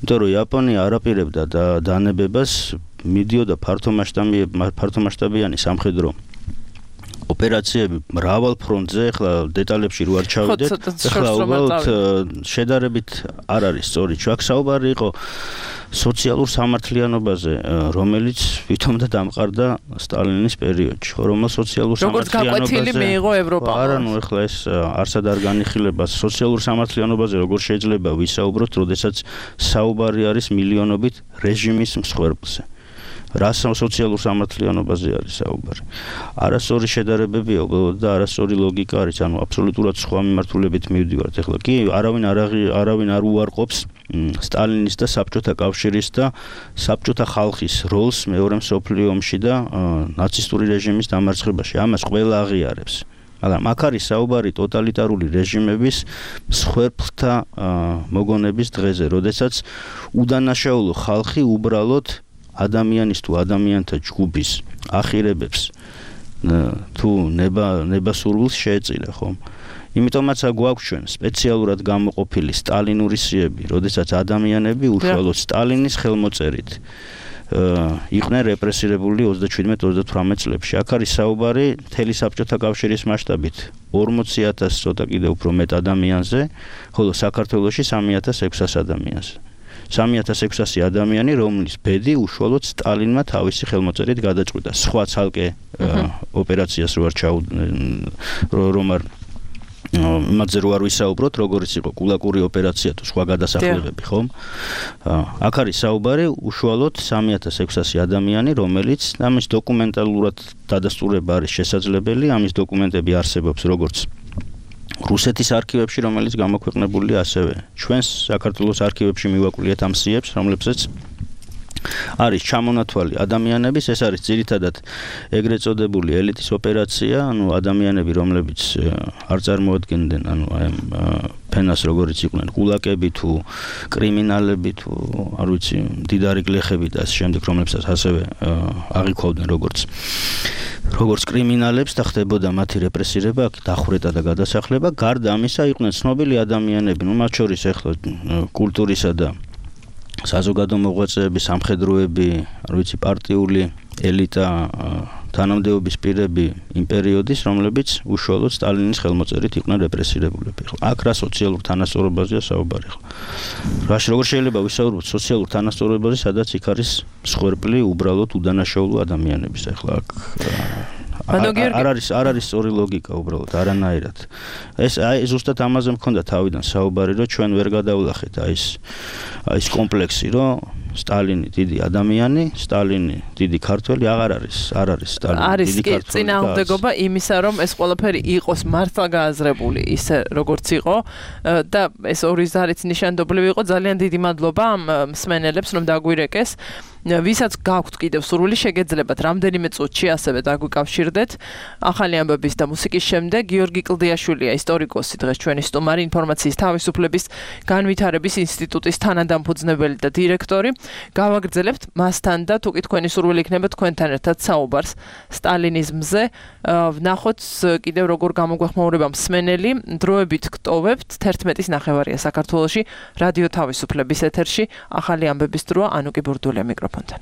იმიტომ რომ იაპონია არაპირებდა და დანებებას, მიდიოდა ფართომასშტაბიანი სამხედრო ოპერაციები მრავალ ფრონტზე, ახლა დეტალებში რო არ ჩავიდეთ, ახლა უბრალოდ შედარებით არ არის სწორი. აქ საუბარი იყო სოციალურ სამართლიანობაზე, რომელიც ვითომ და დამყარდა სტალინის პერიოდში, ხო, რომელ სოციალურ სამართლიანობაზე როგორც გაკვეთილი მიიღო ევროპამ. არა, ნუ ახლა ეს არსად არ განიხილება სოციალურ სამართლიანობაზე, როგორ შეიძლება ვისაუბროთ, როდესაც საუბარი არის მილიონობით რეჟიმის მსხვერპლზე. რა სოციალურ სამართლიანობაზე არის საუბარი. არასწორი შედარებებია და არასწორი ლოგიკა არის, ანუ აბსოლუტურად სხვა მიმართულებით მივდივართ. ახლა კი არავინ არ არავინ არ უარყოფს სტალინის და საბჭოთა კავშირის და საბჭოთა ხალხის როლს მეორე მსოფლიო ომში და ნაცისტური რეჟიმის დამარცხებაში. ამას ყველა აღიარებს. მაგრამ აქ არის საუბარი ტოტალიტარული რეჟიმების მსხვერპლთა მოგონების დღეზე, როდესაც უდანაშაულო ხალხი უბრალოდ ადამიანის თუ ადამიანთა ჯგუფის ახირებებს თუ ნება ნებასურვილს შეეწირა, ხომ? იმიტომაც გვაქვს ჩვენ სპეციალურად გამოყოფილი სტალინური სიები, როდესაც ადამიანები უშუალოდ სტალინის ხელმოწერით იყვნენ რეპრესირებული ოცდაჩვიდმეტ ოცდათვრამეტ წლებში. აქ არის საუბარი მთელი საბჭოთა კავშირის მასშტაბით ორმოცი ათასი ცოტა კიდევ უფრო მეტ ადამიანზე, ხოლო საქართველოში სამი ათას ექვსასი ადამიანზე. სამი ათას ექვსასი ადამიანი, რომლის ბედი უშუალოდ სტალინმა თავისი ხელმოწერით გადაწყვიტა. სხვა ცალკე ოპერაციას რო არ ჩაუ რომ არ იმაზე რო არ ვისაუბროთ, როგორიც იყო კულაკური ოპერაცია თუ სხვა გადასახლებები, ხომ? აქ არის საუბარი უშუალოდ სამი ათას ექვსასი ადამიანი, რომელიც ამის დოკუმენტალურად დადასტურება არის შესაძლებელი, ამის დოკუმენტები არსებობს როგორც რუსეთის არქივებში, რომელიც გამოქვეყნებულია ასევე ჩვენს საქართველოს არქივებში მივაკვლიეთ ამ სიებს, რომლებსაც არის ჩამონათვალი ადამიანების, ეს არის ძირითადად ეგრეთ წოდებული ელიტის ოპერაცია, ანუ ადამიანები, რომლებიც არ წარმოადგენდნენ, ანუ აი ფენას როგორიც იყვნენ კულაკები თუ კრიმინალები თუ არ ვიცი, მდიდარი გლეხები და ასე შემდეგ, რომლებსაც ასევე აღიქვავდნენ როგორც როგორც კრიმინალებს და ხდებოდა მათი რეპრესირება, დახვრეტა და გადასახლება. გარდა ამისა, იყვნენ ცნობილი ადამიანები, ნუ მათ შორის ახლა კულტურისა და საზოგადო მოღვაწეები, სამხედროები, არ ვიცი, პარტიული ელიტა, თანამდებობის პირები იმ პერიოდის, რომლებიც უშუალოდ სტალინის ხელმოწერით იყვნენ რეპრესირებულები. აქ რა სოციალურ თანასწორობაზეა საუბარი. რაში როგორ შეიძლება ვისაუბროთ სოციალურ თანასწორობაზე, სადაც იქ არის მსხვერპლი უბრალოდ უდანაშაულო ადამიანების. ახლა აქ არ არის არ არის სწორი ლოგიკა უბრალოდ არანაირად. ეს აი ზუსტად ამაზე მქონდა თავიდან საუბარი, რომ ჩვენ ვერ გადავლახეთ აი ეს აი ეს კომპლექსი, რომ სტალინი დიდი ადამიანი, სტალინი დიდი ქართველი აღარ არის, არ არის სტალინი დიდი ქართველი. არის წინააღმდეგობა იმისა, რომ ეს ყველაფერი იყოს მართლა გააზრებული ისე როგორც იყო და ეს ორი ზარიც ნიშანდობლივი იყო. ძალიან დიდი მადლობა ამ მსმენელებს, რომ დაგვირეკეს. ვისაც გაქვთ კიდევ სურვილი, შეგეძლებათ რამდენიმე წუთში ასევე დაგვიკავშირდეთ. ახალი ამბების და მუსიკის შემდეგ გიორგი კლდიაშვილია, ისტორიკოსი, დღეს ჩვენი სტუმარი, ინფორმაციის თავისუფლების განვითარების ინსტიტუტის თანადამფუძნებელი და დირექტორი. გავაგრძელებთ მასთან და თუ კი თქვენი სურვილი იქნება თქვენთან ერთად საუბარს სტალინიზმზე. ვნახოთ კიდევ როგორ გამოგვეხმაურება მსმენელი. დროებით გტოვებთ თერთმეტის ნახევარია საქართველოში რადიო თავისუფლების ეთერში. ახალი ამბების დროა, ანუკი ბურდულია მიკროფონთან.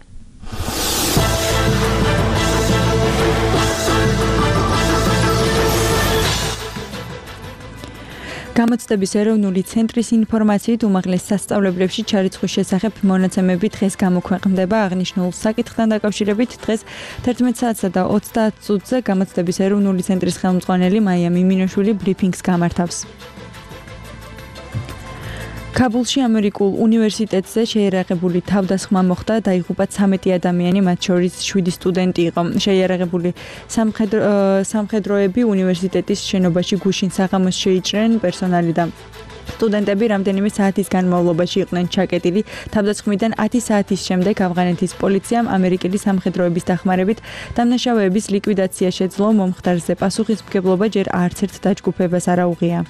გამოცდების ეროვნული ცენტრის ინფორმაციით უმაღლეს სასწავლებლებში ჩარიცხვის შესახებ მონაცემები დღეს გამოქვეყნდება. აღნიშნულ საკითხთან დაკავშირებით დღეს თერთმეტ საათსა და ოცდაათ წუთზე გამოცდების ეროვნული ცენტრის ხელმძღვანელი მაია მიმინოშვილი ბრიფინგს გამართავს. ქაბულში ამერიკულ უნივერსიტეტზე შეიარაღებული თავდასხმა მოხდა, დაიღუპა ცამეტი ადამიანი, მათ შორის შვიდი სტუდენტი იყო. შეიარაღებული სამხედრო სამხედროები უნივერსიტეტის შენობაში გუშინ საღამოს შეიჭრნენ პერსონალი და სტუდენტები რამდენიმე საათის განმავლობაში იყვნენ ჩაკეტილი. თავდასხმიდან ათი საათის შემდეგ ავღანეთის პოლიციამ ამერიკელი სამხედროების დახმარებით დამნაშავეების ლიკვიდაცია შეძლო. მომხდარზე პასუხისმგებლობა ჯერ არც ერთ დაჯგუფებას არ აუღია.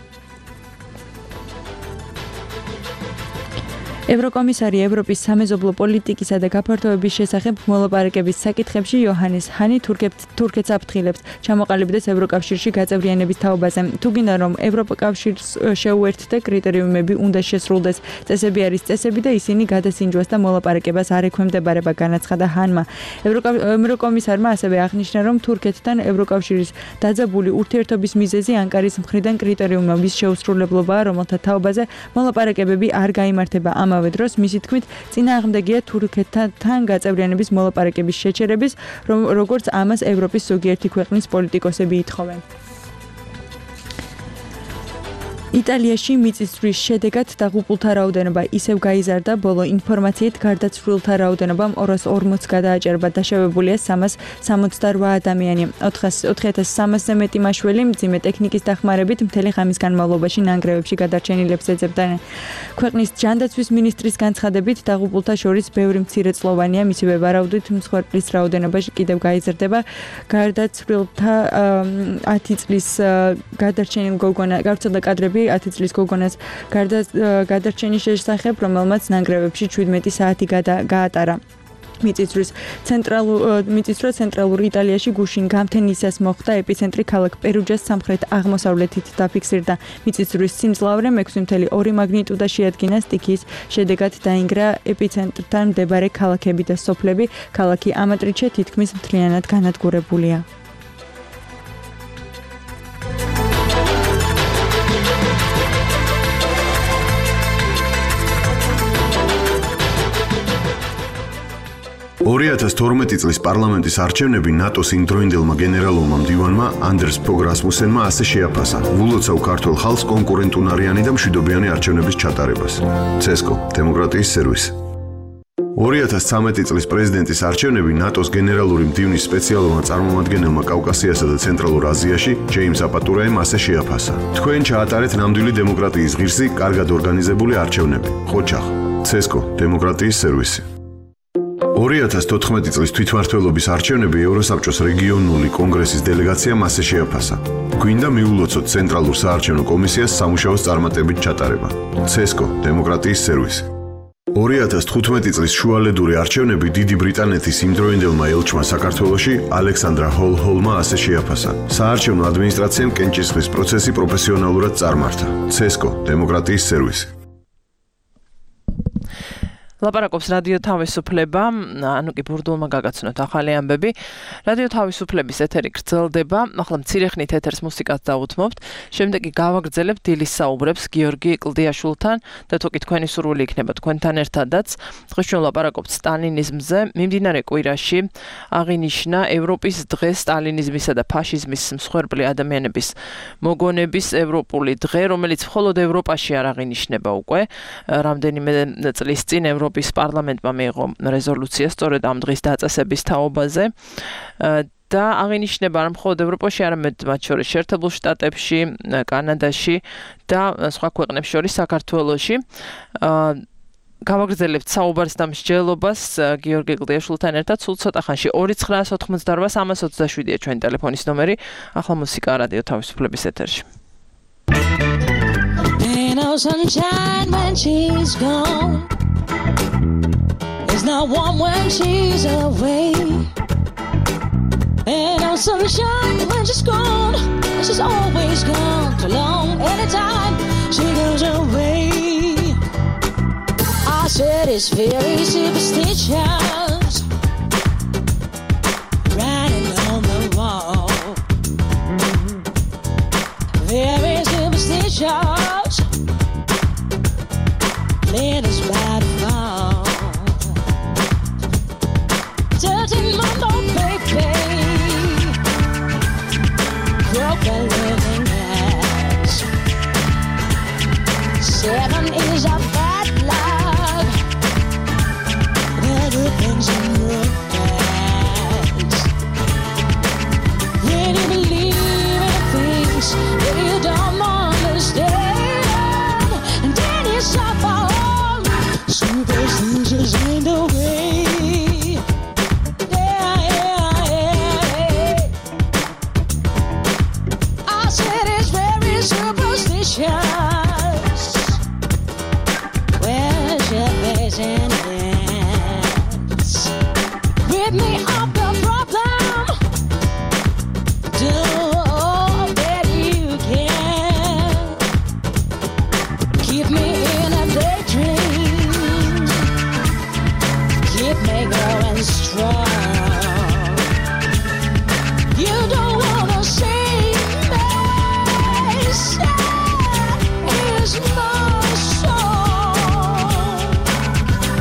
ევროკომისარი ევროპის სამეზობლო პოლიტიკისა და გაფართოების შესახებ მოლაპარაკების საკითხებში იოჰანეს ჰანი თურქეთს აფრთხილებს ჩამოყალიბდეს ევროკავშირში გაწევრიანების თაობაზე. თუ გინდა რომ ევროკავშირს შეუერთდე, კრიტერიუმები უნდა შესრულდეს. წესები არის წესები და ისინი გადასინჯვას და მოლაპარაკებას არ ექვემდებარება, განაცხადა ჰანმა. ევროკომისარმა ასევე აღნიშნა, რომ თურქეთთან ევროკავშირის დაძაბული ურთიერთობის მიზეზი ანკარის მხრიდან კრიტერიუმების შეუსრულებლობაა, რომელთა თაობაზე მოლაპარაკებები არ გაიმართება. ამავე დროს მისი თქმით წინააღმდეგია თურქეთთან გაწევრიანების მოლაპარაკების შეჩერების, როგორც ამას ევროპის ზოგიერთი ქვეყნის პოლიტიკოსები ითხოვენ. იტალიაში მიწისძვრის შედეგად დაღუპულთა რაოდენობა ისევ გაიზარდა. ბოლო ინფორმაციით გარდაცვლილთა რაოდენობამ ორას ორმოცს გადააჭერბა, დაშავებულია სამას სამოცდარვა ადამიანი. ოთხი ათას სამასზე მეტი მაშველი მძიმე ტექნიკის დახმარებით მთელი ღამის განმავლობაში ნანგრევებში გადარჩენილებს ეძებდნენ. ქვეყნის ჯანდაცვის მინისტრის განცხადებით დაღუპულთა შორის ბევრი მცირეწლოვანია, მისივე ვარაუდით მსხვერპლის რაოდენობა კიდევ გაიზარდება. გარდაცვლილთა ათი წლის გადარჩენილ გოგონა გავრცელდა კადრები ათი წლის გოგონას გადარჩენის შესახებ, რომელმაც ნანგრევებში შვიდმეტი საათი გაატარა. მიწისძვრის ცენტრალურ მიწისძვრა ცენტრალურ იტალიაში გუშინ გამთენისას მოხდა. ეპიცენტრი ქალაქ პერუჯას სამხრეთ აღმოსავლეთით დაფიქსირდა. მიწისძვრის სიმძლავრე ექვსი კoma ორი მაგნიტუდა შეადგინა. სტიქიის შედეგად დაინგრა ეპიცენტრთან მდებარე ქალაქები და სოფლები. ქალაქი ამატრიჩე თითქმის მთლიანად განადგურებულია. ორი ათას თორმეტი წლის პარლამენტის არჩევნები ნატოს იმდროინდელმა გენერალურმა მდივანმა ანდერს ფოგ რასმუსენმა ასე შეაფასა ვულოცავ ქართულ ხალხს კონკურენტუნარიანი და მშვიდობიანი არჩევნების ჩატარებას. ცესკო, დემოკრატიის სერვისი. ორი ათას ცხრამეტი წლის პრეზიდენტის არჩევნები ნატოს გენერალური მდივნის სპეციალურმა წარმომადგენელმა კავკასიასა და ცენტრალურ აზიაში ჯეიმს აპატურაემ ასე შეაფასა. თქვენ ჩაატარეთ ნამდვილი დემოკრატიის ღირსი, კარგად ორგანიზებული არჩევნები. ხოჩახ, ცესკო, დემოკრატიის სერვისი. ორი ათას თოთხმეტი წლის თვითმმართველობის არჩევნები ევროსაბჭოს რეგიონული კონგრესის დელეგაციამ ასე შეაფასა. გვინდა მიულოცოთ ცენტრალურ საარჩევნო კომისიას სამუშაოს წარმატებით ჩატარება. ცესკო, დემოკრატიის სერვისი. ორი ათას თხუთმეტი წლის შუალედური არჩევნები დიდი ბრიტანეთის იმდროინდელმა ელჩმა საქართველოში ალექსანდრა ჰოლ-ჰოლმა ასე შეაფასა. საარჩევნო ადმინისტრაციამ კენჭისყრის პროცესი პროფესიონალურად წარმართა. ცესკო, დემოკრატიის სერვისი. ლაპარაკობს რადიო თავისუფლება, ანუკი ბურდულმა გაგაცნოთ ახალი ამბები. რადიო თავისუფლების ეთერი გრძელდება, ახლა მცირე ხნით ეთერს მუსიკას დავუთმობთ. შემდეგი გავაგრძელებთ დილის საუბრებს გიორგი კლდიაშვილთან და თუ კი თქვენი სურვილი იქნება თქვენთან ერთადაც. დღეს ჩვენ ლაპარაკობთ სტალინიზმზე. მიმდინარე კვირაში აღინიშნა ევროპის დღე სტალინიზმისა და ფაშიზმის მსხვერპლი ადამიანების მოგონების ევროპული დღე, რომელიც მხოლოდ ევროპაში არ აღინიშნება უკვე. რამდენიმე წლის წინ ევროპის პარლამენტმა მიიღო რეზოლუცია სწორედ ამ დღის დაწესების თაობაზე და აღინიშნება არ მხოლოდ ევროპაში, არამედ მათ შორის შეერთებულ შტატებში, კანადაში და სხვა ქვეყნებს შორის საქართველოში. გავაგრძელებთ საუბარს და მსჯელობას გიორგი კლდიაშვილთან ერთად სულ ცოტა ხანში ორი ცხრაას ოთხმოცდაორვა სამას ოცდაშვიდია ჩვენი ტელეფონის ნომერი. ახლა მუსიკა რადიო თავისუფლების ეთერში. Ain't no sunshine when she's gone. There's no warm when she's away. Ain't no sunshine when she's gone. She's always gone too long. Anytime she goes away, I said it's very superstitious, writing on the wall. Very superstitious, playing us by the fall. Thirteen month old baby, broke a living glass. Seven is a bad luck. The things in your past. When you believe in things that you don't understand, and then you suffer. Superstitions ain't the way. Yeah, yeah, yeah. I said it's very superstitious. Where's your face and hands? Rid me of the problem. Do all that you can. Keep me in a daydream. Keep me going strong. You don't wanna see me sad is my song.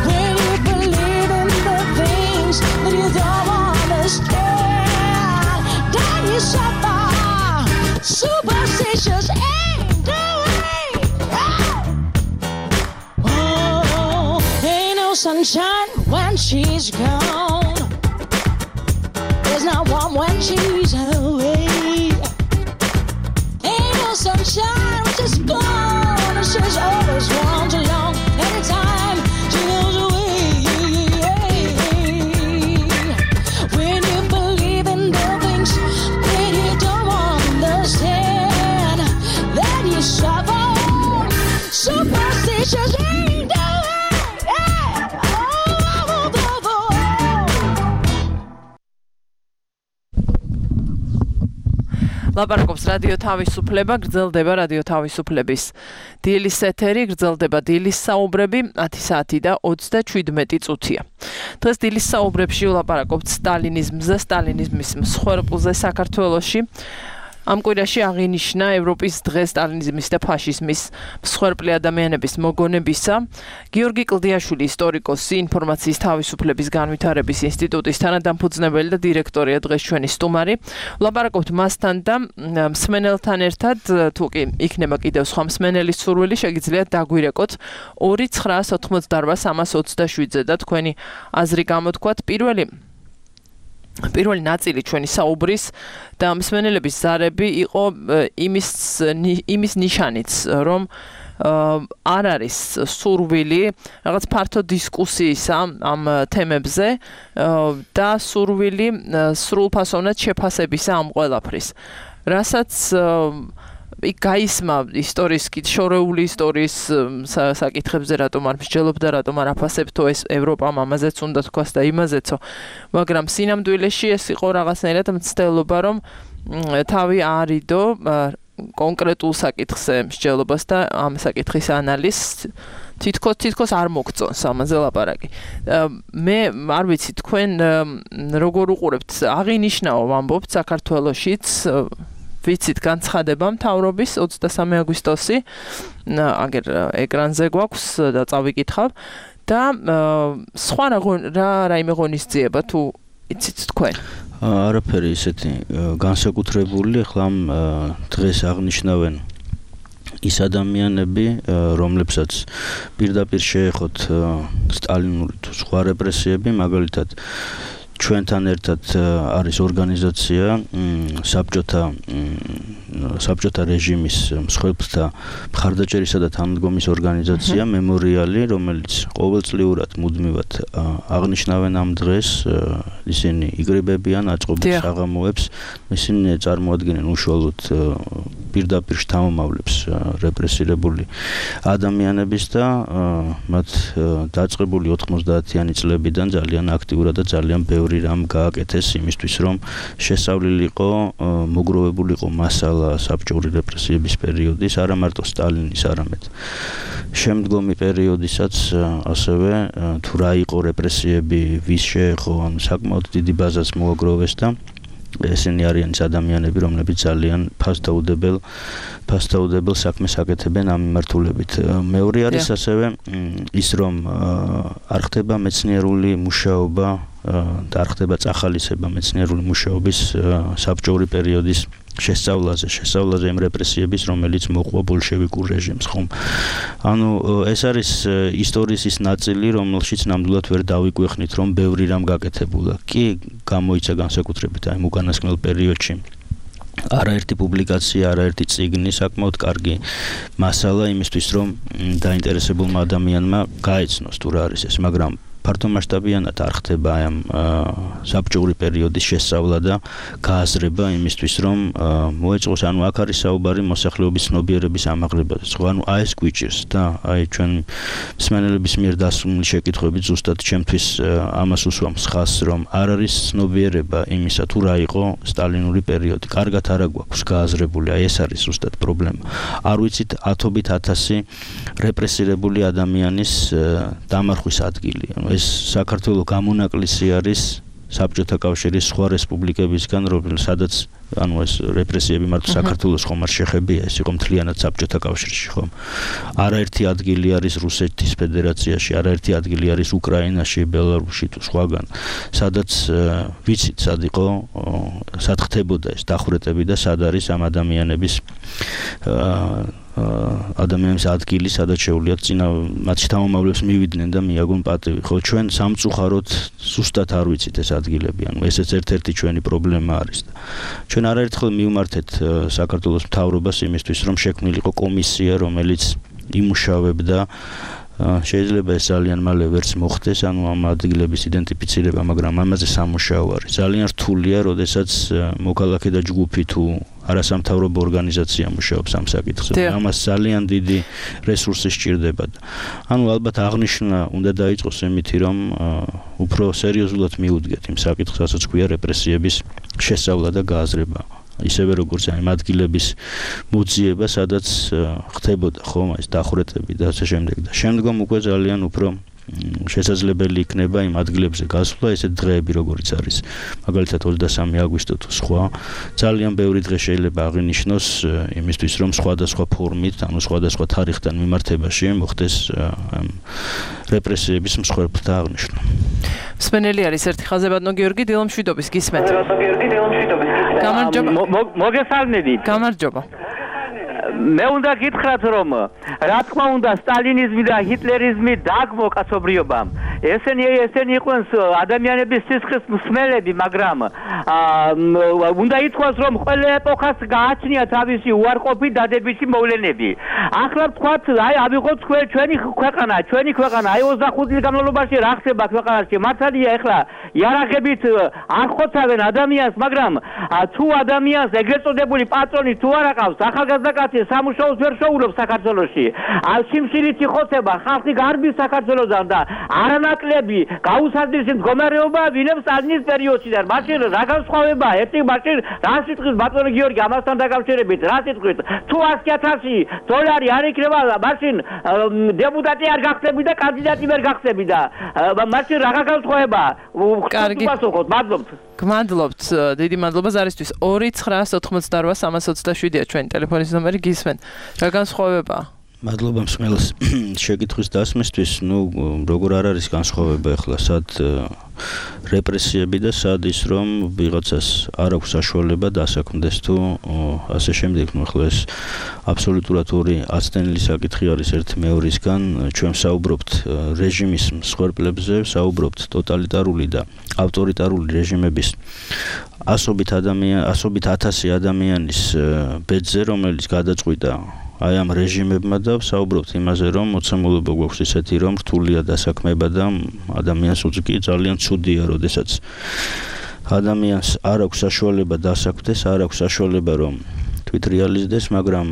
When you believe in the things that you don't understand, then you suffer. Superstitious ain't the way. Oh, ain't no sunshine when she's gone. There's no warm when she's away. Ain't no sunshine when she's gone. She's always gone too long. Anytime she goes away. When you believe in the things that you don't understand, then you suffer. Superstitious ain't the way. Yeah. Oh, oh, oh, oh. ლაპარაკობს რადიო თავისუფლება, გრძელდება რადიო თავისუფლების დილის ეთერი, გრძელდება დილის საუბრები ათი საათი და ოცდაშვიდმეტი წუთია. დღეს დილის საუბრებში ვლაპარაკობთ სტალინიზმზე, სტალინიზმის მსხვერპლზე საქართველოში. ამ კვირაში აღინიშნა ევროპის დღე სტალინიზმის და ფაშიზმის მსხვერპლი ადამიანების მოგონებისა. გიორგი კლდიაშვილი, ისტორიკოსი, ინფორმაციის თავისუფლების განვითარების ინსტიტუტის თანადამფუძნებელი და დირექტორია დღეს ჩვენი სტუმარი. ვლაპარაკობთ მასთან და მსმენელთან ერთად, თუ კი იქნება კიდევ სხვა მსმენელის სურვილი, შეგიძლიათ დაგვირეკოთ ორი ცხრაას ოთხმოცდაორვა სამას ოცდაშვიდზე და თქვენი აზრი გამოთქვათ. პირველი პირველი ნაწილი ჩვენი საუბრის და მსმენელების ზარები იყო იმის იმის ნიშანიც, რომ არ არის სურვილი რაღაც ფართო დისკუსიისა ამ თემებზე და სურვილი სრულფასოვნად შეფასებისა ამ ყველაფრის. რასაც იქ გაისმა ისტორიის შორეული ისტორიის საკითხებზე რატომ არ მსჯელობდა, რატომ არ აფასებთო ეს ევროპამ ამაზეც უნდა თქვას და იმაზეცო, მაგრამ სინამდვილეში ეს იყო რაღაცნაირად მცდელობა, რომ თავი არიდო კონკრეტულ საკითხზე მსჯელობას და ამ საკითხის ანალიზს თითქოს თითქოს არ მოგწონს ამაზე ლაპარაკი. მე არ ვიცი თქვენ როგორ უყურებთ, აღინიშნაო ვამბობთ საქართველოშიც ვიცით განცხადება მთავრობის ოცდასამი აგვისტოსი, აგერ ეკრანზე გვაქვს და წავიკითხავ და სხვა რა რაიმე ღონისძიება თუ იცით თქვენ? არაფერი ისეთი განსაკუთრებული, ახლა ამ დღეს აღნიშნავენ ის ადამიანები, რომლებსაც პირდაპირ შეეხოთ სტალინური თუ სხვა რეპრესიები, მაგალითად ჩვენთან ერთად არის ორგანიზაცია საბჭოთა საბჭოთა რეჟიმის მსხვერპლთა მხარდაჭერისა და თანადგომის ორგანიზაცია მემორიალი, რომელიც ყოველწლიურად მუდმივად აღნიშნავენ ამ დღეს, ისინი იგრებებიან აწყობებს საღამოებს, ისინი წარმოადგენენ უშუალოდ პირდაპირ შთამომავლებს რეპრესირებული ადამიანების და მათ დაწყებული ოთხმოცდაათიანი წლებიდან ძალიან აქტიურად და ძალიან ბევრი რამ გააკეთეს იმისთვის, რომ შესავლილიყო, მოგროვებულიყო მასალა საბჭოური რეპრესიების პერიოდის, არა მარტო სტალინის, არამედ შემდგომი პერიოდისაც ასევე თუ რა იყო რეპრესიები, ვის შეეხო, ან საკმაოდ დიდი ბაზას მოაგროვეს და ესენი არიან ადამიანები, რომლებიც ძალიან ფასდაუდებელ ფასდაუდებელ საქმეს აკეთებენ ამ მიმართულებით. მეორე არის ასევე ის, რომ არ ხდება მეცნიერული მუშაობა და არ ხდება წახალისება მეცნიერული მუშაობის საბჭოური პერიოდის შესწავლაზე, შესწავლაზე იმ რეპრესიების, რომელიც მოყვა ბოლშევიკურ რეჟიმს, ხომ? ანუ ეს არის ისტორიის ის ნაწილი, რომელშიც ნამდვილად ვერ დავიკვეხნით, რომ ბევრი რამ გაკეთებულა. კი, გამოიცა განსაკუთრებით აი უკანასკნელ პერიოდში არაერთი პუბლიკაცია, არაერთი წიგნი, საკმაოდ კარგი მასალა იმისთვის, რომ დაინტერესებულმა ადამიანმა გაეცნოს თუ რა არის ეს, მაგრამ ფართომასშტაბიანად არ ხდება ამ საბჭოური პერიოდის შესწავლა და გააზრება იმისთვის, რომ მოეწყოს, ანუ აქ არის საუბარი მოსახლეობის ცნობიერების ამაღლებაზე. ანუ აი ეს გვიჭირს და აი ჩვენ მსმენელების მიერ დასმული შეკითხვები ზუსტად ჩემთვის ამას უსვამს ხაზს, რომ არ არის ცნობიერება იმისა, თუ რა იყო სტალინური პერიოდი. კარგად არა გვაქვს გააზრებული, აი ეს არის ზუსტად პრობლემა. არ ვიცით ათობით ათასი რეპრესირებული ადამიანის დამარხვის ადგილი. ეს საქართველოს გამონაკლისი არის საბჭოთა კავშირის სხვა რესპუბლიკებისგან, სადაც ანუ ეს რეპრესიები მარტო საქართველოს ხომ არ შეხებია, ეს იყო მთლიანად საბჭოთა კავშირში, ხომ? არაერთი ადგილი არის რუსეთის ფედერაციაში, არაერთი ადგილი არის უკრაინაში, ბელარუსში თუ სხვაგან, სადაც ვიცით, სად იყო, სად ხდებოდა ეს დახვრეტები და სად არის ამ ადამიანების ადამიანის ადგილი, სადაც შეუძლიათ წინა მათ შთამომავლებს მივიდნენ და მიაგონ პატივი. ხო, ჩვენ სამწუხაროდ ზუსტად არ ვიცით ეს ადგილები, ანუ ესეც ერთ-ერთი ჩვენი პრობლემა არის და ჩვენ არაერთხელ მივმართეთ საქართველოს მთავრობას იმისთვის, რომ შექმნილიყო კომისია, რომელიც იმუშავებდა შეიძლება ეს ძალიან მალე ვერც მოხდეს, ანუ ამ ადგილების იდენტიფიცირება, მაგრამ ამაზე სამუშაო არის. ძალიან რთულია, როდესაც მოქალაქე და ჯგუფი თუ არასამთავრობო ორგანიზაცია მუშაობს ამ საკითხზე. ამას ძალიან დიდი რესურსი სჭირდება. ანუ ალბათ აღნიშვნა უნდა დაიწყოს იმითი, რომ უფრო სერიოზულად მიუდგეთ იმ საკითხს, რასაც ქვია რეპრესიების შესწავლა და გააზრება. ისევე როგორც აი ადგილების მოძიება, სადაც ხდებოდა ხომ ეს დახვრეტები და ასე შემდეგ და შემდგომ უკვე ძალიან უფრო შესაძლებელი იქნება იმ ადგილებზე გასვლა, ესეთ დღეები როგორიც არის, მაგალითად ოცდასამი აგვისტო თუ სხვა, ძალიან ბევრი დღე შეიძლება აღინიშნოს იმისთვის, რომ სხვადასხვა ფორმით, ანუ სხვადასხვა თარიღთან მიმართებაში მოხდეს რეპრესიების მსხვერპლთა აღნიშვნა. მსმენელი არის ერთი ხაზებადნო გიორგი დილომშვიდობის გისმენთ. გამარჯობა. მოგესალმებით. გამარჯობა. მე უნდა გითხრათ, რომ რა თქმა უნდა სტალინიზმი და ჰიტლერიზმი დაგმო კაცობრიობამ. ესენი ესენი იყვნენ ადამიანების სისხლის მსმელები, მაგრამ უნდა ითქვას, რომ ყველა ეპოქას გააჩნია თავისი უარყოფი დადებითი მოვლენები. ახლა ვთქვათ, აი ავიღოთ ჩვენი ქვეყანა, ჩვენი ქვეყანა, აი ოცდახუთი წლის განმავლობაში რა ხდება ქვეყანაში? მართალია ახლა იარაღებით არ ხოცავენ ადამიანს, მაგრამ თუ ადამიანს ეგრეთ წოდებული პატრონი თუ არ აყავს, ახალგაზრდა კაცი სამუშაოს ვერ შეუძლებს საქართველოში. სიმსივნით იხოცება, ხალხი გარბის საქართველოსთან და არანაკლები გაუსადლის მდგომარეობა ვინებს სტალინის პერიოდიდან. მაშინ რა განსხვავებაა? ერთი მაშინ რა სიტყვის ბატონო გიორგი ამასთან დაკავშირებით, რა სიტყვით? თუ ასი ათასი დოლარი არ იქნება, მაშინ დეპუტატი არ გახდები და კანდიდატი ვერ გახდები და მაშინ რა განსხვავებაა? კარგი. მადლობთ. გმადლობთ, დიდი მადლობა ზარისთვის. ორი ცხრა ოთხმოცდაოთხ სამას ოცდაშვიდია ჩვენი ტელეფონის ნომერი, გისმენთ. რა განსხვავებაა? მადლობა მსმენელს შეკითხვის დასმისთვის. ნუ როგორ არ არის განსხვავება ახლა სად რეპრესიები და სად ის რომ ვიღაცას არ აქვს საშუალება დასაქმდეს თუ ასე შემდეგ. ნუ ახლა ეს აბსოლუტურად ორი აცდენილი საკითხი არის ერთი მეორისგან. ჩვენ საუბრობთ რეჟიმის მსხვერპლებზე, საუბრობთ ტოტალიტარული და ავტორიტარული რეჟიმების ასობით ადამიან ასობით ათასი ადამიანის ბედზე, რომელიც გადაწყვიტა აი ამ რეჟიმებმა და საუბრობთ იმაზე, რომ მოცემულობა გვაქვს ისეთი, რომ რთულია დასაქმება და ადამიანს უძგი ძალიან ცუდია, როდესაც ადამიანს არ აქვს საშუალება დასაქმდეს, არ აქვს საშუალება რომ თვითრეალიზდეს, მაგრამ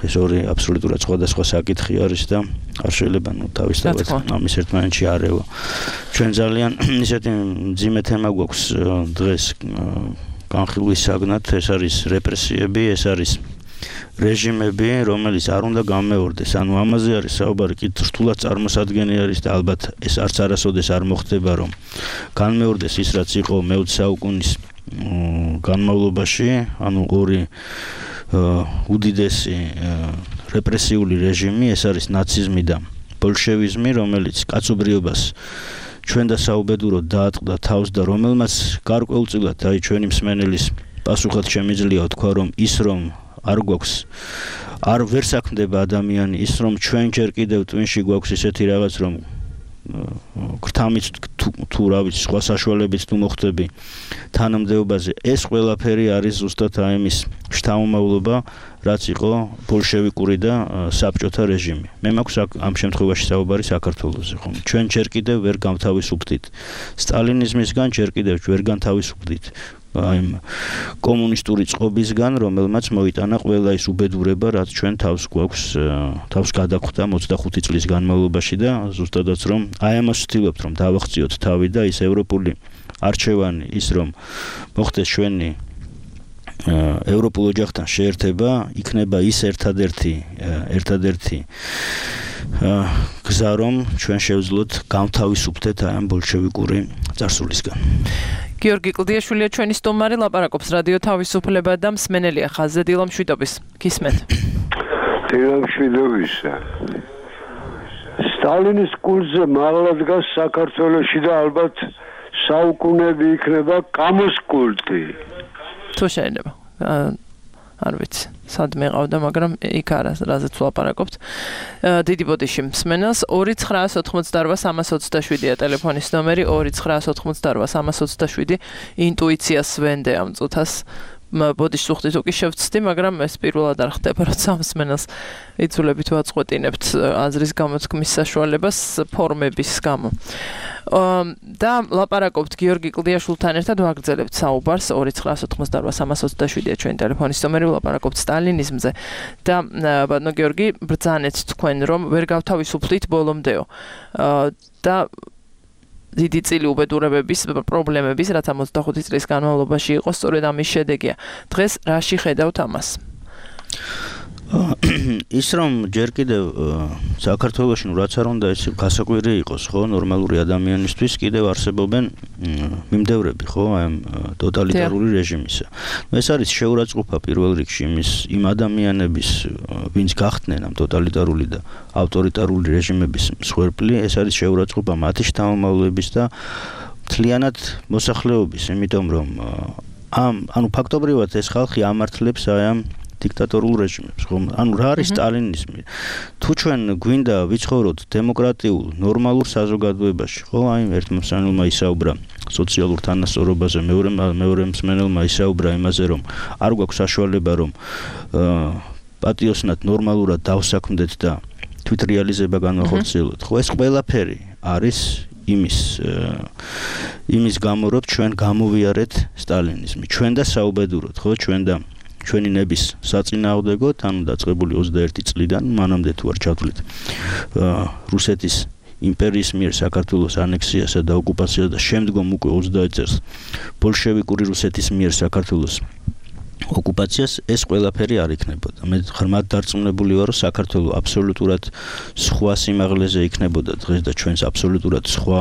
ეს ორი აბსოლუტურად სხვადასხვა საკითხი არის და არ შეიძლება ნუ თავისთავად ამის ერთმანეთში არევა. ჩვენ ძალიან ისეთი მძიმე თემა გვაქვს დღეს განხილვის საგნად, ეს არის რეპრესიები, ეს არის რეჟიმები, რომელიც არ უნდა გამეორდეს. ანუ ამაზე არის საუბარი, კი რთულად წარმოსადგენი არის და ალბათ ეს არც არასოდეს არ მოხდება, რომ განმეორდეს ის, რაც იყო მეოცე საუკუნის განმავლობაში, ანუ ორი უდიდესი რეპრესიული რეჟიმი, ეს არის ნაციზმი და ბოლშევიზმი, რომელიც კაცობრიობას ჩვენ და საუბედუროდ დაატყდა თავს და რომელმაც გარკვეულწილად აი ჩვენი მსმენელის პასუხად შემიძლია თქვა, რომ ის რომ არ გვაქვს არ ვერ საქმდება ადამიანი, ის რომ ჩვენ ჯერ კიდევ ტვინში გვაქვს ისეთი რაღაც, რომ გრთამით თუ რა ვიცი სხვა საშუალებით თუ მოხდები თანამდებობაზე, ეს ყველაფერი არის ზუსტად აი ამის შთამომავლობა, რაც იყო ბოლშევიკური და საბჭოთა რეჟიმი. მე მაქვს ამ შემთხვევაში საუბარი საქართველოზე, ხომ? ჩვენ ჯერ კიდევ ვერ გამთავისუფლდით სტალინიზმისგან, ჯერ კიდევ ვერ განთავისუფლდით აი კომუნისტური წყობისგან, რომელმაც მოიტანა ყველა ის უბედურება, რაც ჩვენ თავს გვაქვს, თავს გადახვდა ოცდახუთი წლის განმავლობაში და ზუსტადაც რომ აი ამას ვცდილობთ, რომ დავახციოთ თავი და ის ევროპული არჩევანი, ის რომ მოხდეს ჩვენი ევროპულ ოჯახთან შეერთება, იქნება ის ერთადერთი ერთადერთი გზა, რომ ჩვენ შევძლოთ გამთავისუფლდეთ აი ამ ბოლშევიკური წარსულისგან. გიორგი კლდიაშვილია ჩვენი სტუმარი, ლაპარაკობს რადიო თავისუფლება და მსმენელია ხაზზე დილა მშვიდობის. გისმენთ. დილა მშვიდობისა. სტალინის კულტზე მაღლა დგას საქართველოში და ალბათ საუკუნეები იქნება კამოს კულტი. თუ შეიძლება. არ ვიცი, სად მეყავდა, მაგრამ იქ არა, რაზეც ვლაპარაკობთ. დიდი ბოდიში მსმენელს ორი ცხრაას ოთხმოცდარვა სამას ოცდაშვიდია ტელეფონის ნომერი, ორი ცხრაას ოთხმოცდარვა სამას ოცდაშვიდი. ინტუიციას ვენდე ამ წუთას ბოდიშს უხდით უკი შევწდი, მაგრამ ეს პირველად არ ხდება, როცა მსმენელს იცულებით ვაწყვეტინებთ აზრის გამოთქმის საშუალებას ფორმების გამო. და ლაპარაკობთ გიორგი კლდიაშვილთან ერთად ვაგრძელებთ საუბარს ორი ცხრაას ოთხმოცდარვა სამას ოცდაშვიდია ჩვენი ტელეფონის ნომერი, ლაპარაკობთ სტალინიზმზე და ბატონო გიორგი, ბრძანეთ თქვენ რომ ვერ გავთავისუფლდით ბოლომდეო და დიდი წილი უბედურებების პრობლემების, რაც ამ ოცდახუთი წლის განმავლობაში იყო, სწორედ ამის შედეგია. დღეს რაში ხედავთ ამას? ის რომ ჯერ კიდევ საქართველოში ნუ რაც არ უნდა ეს გასაკვირი იყოს, ხო, ნორმალური ადამიანისთვის კიდევ არსებობენ მიმდევრები, ხო, აი ამ ტოტალიტარული რეჟიმისა. ეს არის შეურაცხყოფა პირველ რიგში იმის იმ ადამიანების, ვინც გახდნენ ამ ტოტალიტარული და ავტორიტარული რეჟიმების მსხვერპლი, ეს არის შეურაცხყოფა მათი შთამომავლების და მთლიანად მოსახლეობის, იმიტომ რომ ამ ანუ ფაქტობრივად ეს ხალხი ამართლებს აი ამ დიქტატორულ რეჟიმებს, ხომ? ანუ რა არის სტალინიზმი? თუ ჩვენ გვინდა ვიცხოვროთ დემოკრატიულ, ნორმალურ საზოგადოებაში, ხო? აი ერთ მსმენელმა ისაუბრა სოციალურ თანასწორობაზე, მეორე მეორე მსმენელმა ისაუბრა იმაზე, რომ არ გვაქვს საშუალება, რომ პატიოსნად ნორმალურად დავსაქმდეთ და თვითრეალიზება განვახორციელოთ. ხო, ეს ყველაფერი არის იმის იმის გამო, რომ ჩვენ გამოვიარეთ სტალინიზმი. ჩვენ და საუბედუროთ, ხო, ჩვენ და ჩვენი ნების საწინააღმდეგოდ, ანუ დაწყებული ოცდაერთი წლიდან, მანამდე თუ არ ჩავთვლით რუსეთის იმპერიის მიერ საქართველოს ანექსიასა და ოკუპაციას და შემდგომ უკვე ოცდაათი წელს ბოლშევიკური რუსეთის მიერ საქართველოს ოკუპაციას ეს ყველაფერი არ იქნებოდა. მე ღრმად დარწმუნებული ვარ, რომ საქართველოს აბსოლუტურად სხვა სიმაღლეზე იქნებოდა დღეს და ჩვენს აბსოლუტურად სხვა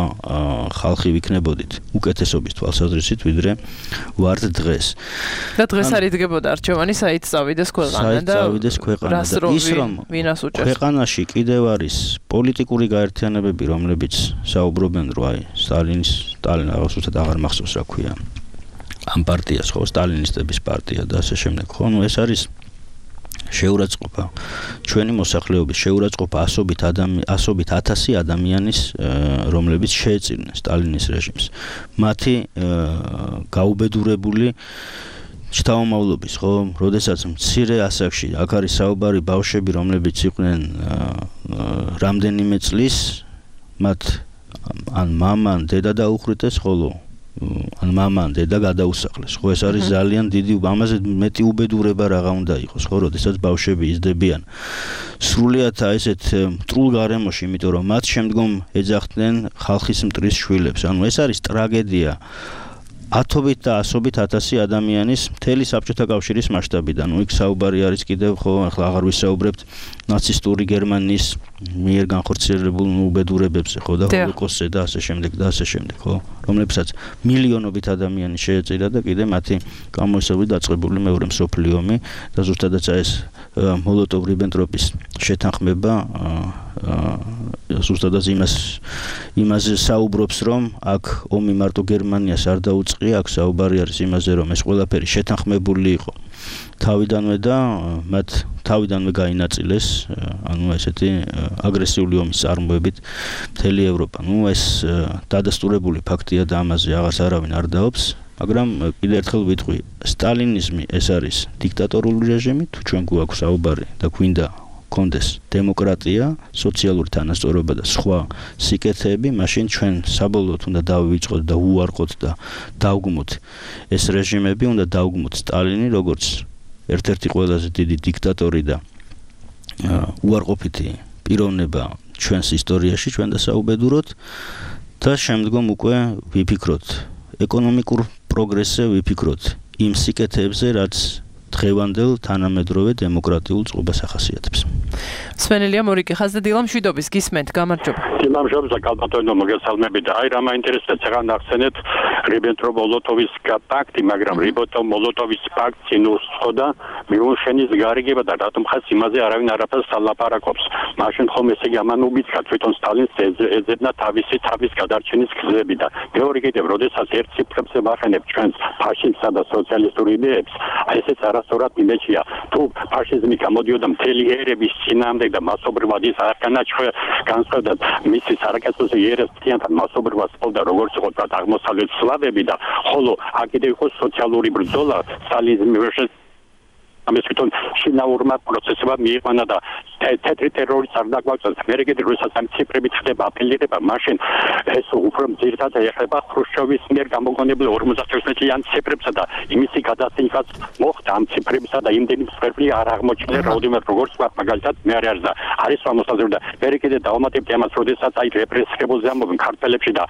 ხალხი ვიქნებოდით უკეთესობის თვალსაზრისით, ვიდრე ვართ დღეს. და დღეს არ იდგებოდა არჩევანი, საით წავიდეს ქვეყანა და წავიდეს ქვეყანა და ის რომ ქვეყანაში კიდევ არის პოლიტიკური გაერთიანებები, რომლებიც საუბრობენ, რომ აი სტალინის სტალინი აღსუსტად აღარ მახსოვს რა ქვია. ამ პარტიას ხო სტალინისტების პარტია და ასე შემდეგ ხო ნუ ეს არის შეურაცხყოფა ჩვენი მოსახლეობის შეურაცხყოფა ასობით ადამიანი ასობით ათასი ადამიანის რომლებიც შეეწირნენ სტალინის რეჟიმს მათი გაუბედურებული შთამომავლობის ხო როდესაც მცირე ასაკში აქ არის საუბარი ბავშვები რომლებიც იყვნენ რამდენიმე წლის მათ ან მამან დედა დაუხრიტეს ხოლო ან მამან დედა გადაუსახლეს. ხო ეს არის ძალიან დიდი ამაზე მეტი უბედურება რაღა უნდა იყოს, ხო, როდესაც ბავშვები იზრდებიან. სრულიად ესეთ მტრულ გარემოში, იმიტომ რომ მათ შემდგომ ეძახდნენ ხალხის მტრის შვილებს. ანუ ეს არის ტრაგედია. ათობით და ასობით ათასი ადამიანის მთელი საბჭოთა კავშირის მასშტაბიდან. ნუ იქ საუბარი არის კიდევ ხო, ახლა აღარ ვისაუბრებთ ნაცისტური გერმანიის მიერ განხორციელებულ უბედურებებზე, ხო და ჰოლოკოსტზე და ასე შემდეგ და ასე შემდეგ, ხო, რომლებსაც მილიონობით ადამიანი შეეწირა და კიდე მათი გამოისებული დაწყებული მეორე მსოფლიო ომი და ზუსტადაც ეს მოლოტოვ-რიბენტროპის შეთანხმება ზუსტადაც იმას იმაზე საუბრობს, რომ აქ ომი მარტო გერმანიას არ დაუწყია, აქ საუბარი არის იმაზე, რომ ეს ყველაფერი შეთანხმებული იყო თავიდანვე და მათ თავიდანვე გაინაწილეს, ანუ ესეთი აგრესიული ომის წარმოებით მთელი ევროპა. ნუ ეს დადასტურებული ფაქტია და ამაზე აღარც არავინ არ დაობს, მაგრამ კიდევ ერთხელ ვიტყვი, სტალინიზმი ეს არის დიქტატორული რეჟიმი, თუ ჩვენ გვაქვს საუბარი და გვინდა კონდეს დემოკრატია, სოციალური თანასწორობა და სხვა სიკეთეები, მაშინ ჩვენ საბოლოოდ უნდა დავივიწყოთ და უარყოთ და დავგმოთ ეს რეჟიმები, უნდა დავგმოთ სტალინი, როგორც ერთ-ერთი ყველაზე დიდი დიქტატორი და უარყოფითი პიროვნება ჩვენს ისტორიაში, ჩვენ დასაუბედუროთ და შემდგომ უკვე ვიფიქროთ ეკონომიკურ პროგრესზე, ვიფიქროთ იმ სიკეთეებზე, რაც დღევანდელ თანამედროვე დემოკრატიულ წყობას ახასიათებს. სვენელია მორიკე ხაზდა დილამ შვიდობის გისმენთ, გამარჯობა. დილამ შვიდობა, კალპატონო მოგესალმებით. აი რა მაინტერესებს ცეღან ახსენეთ რიბენტროპ-მოლოტოვის პაქტი, მაგრამ რიბენტროპ-მოლოტოვის პაქტი ნუსხოდა მიუნხენის გარიგება და რატომ ხას იმაზე არავინ არაფერს ალაპარაკობს. მაშინ ხომ ესე იგი ამან უბიძგა თვითონ სტალინს ეძებნა თავისი თავის გადარჩენის გზები და მეორე კიდევ როდესაც ერთ ციფრებზე ვახენებ ჩვენს ფაშისტსა და სოციალისტურ იდეებს, აი ესეც არასწორად იმეჩია. თუ ფაშიზმი გამოდიოდა მთელი ერების წინააღმდეგ და მასობრივად ის არ განაჩვევა განსხვავდა მისი სარაკეთოზე ერებს თიანთან მასობრივად სპორტა როგორც იყო და აღმოსავლეთ სლავები და ხოლო აქ კიდევ იყო სოციალური ბრძოლა სტალინიზმი versus ამის თვითონ შინაურმა პროცესებმა მიიყვანა და თეთრი ტერორისტს არ დაგვაქვს მე კიდე როდესაც ამ ციფრებით ხდება აპელირება მაშინ ეს უფრო ძირითადად ეხება ხრუშჩოვის მიერ გამოგონებულ ორმოცდაათი წლიან ციფრებსა და იმისი გადასინხაც მოხდა ამ ციფრებსა და იმდენი მსხვერპლი არ აღმოჩნდა რაოდენობით როგორც ვარ მაგალითად მე არ არის და არის სამოსაზრო და მე კიდე დავამატებთ ამას როდესაც აი რეპრესირებულზე ამობენ ქართველებში და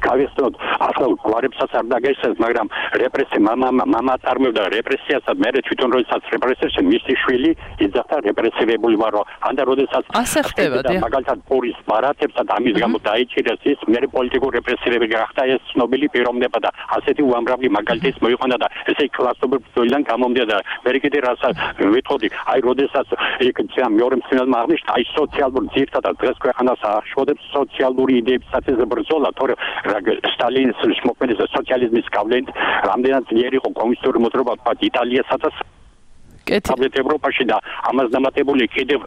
გავიხსნოთ ახლა გვარებსაც არ დაგესწრეს მაგრამ რეპრესია მამა მამა წარმოებდა რეპრესიას და მე თვითონ როდესაც რეპრესიაში მისი შვილი იძახდა რეპრესირებული ვარო ან და როდესაც ასე ხდება და მაგალითად პორის ბარათებს და ამის გამო დაიჭირეს ის მე პოლიტიკური რეპრესირები გახდა ეს ცნობილი პიროვნება და ასეთი უამრავი მაგალითის მოიყვანა და ესე კლასობრივ ბრძოლიდან გამომდია და მე კიდე რასაც ვიტყოდი აი როდესაც იქ მეორე მსმენელმა აღნიშნა აი სოციალურ ძირთადად დღეს ქვეყანას აღშფოთებს სოციალური იდეებისათვის ბრძოლა თორე სტალინის მოქმედის სოციალიზმის გავლენით რამდენად ძლიერი იყო კომუნისტური მოძრაობა თქვა იტალიასაც კეთილ ევროპაში და ამას დამატებული კიდევ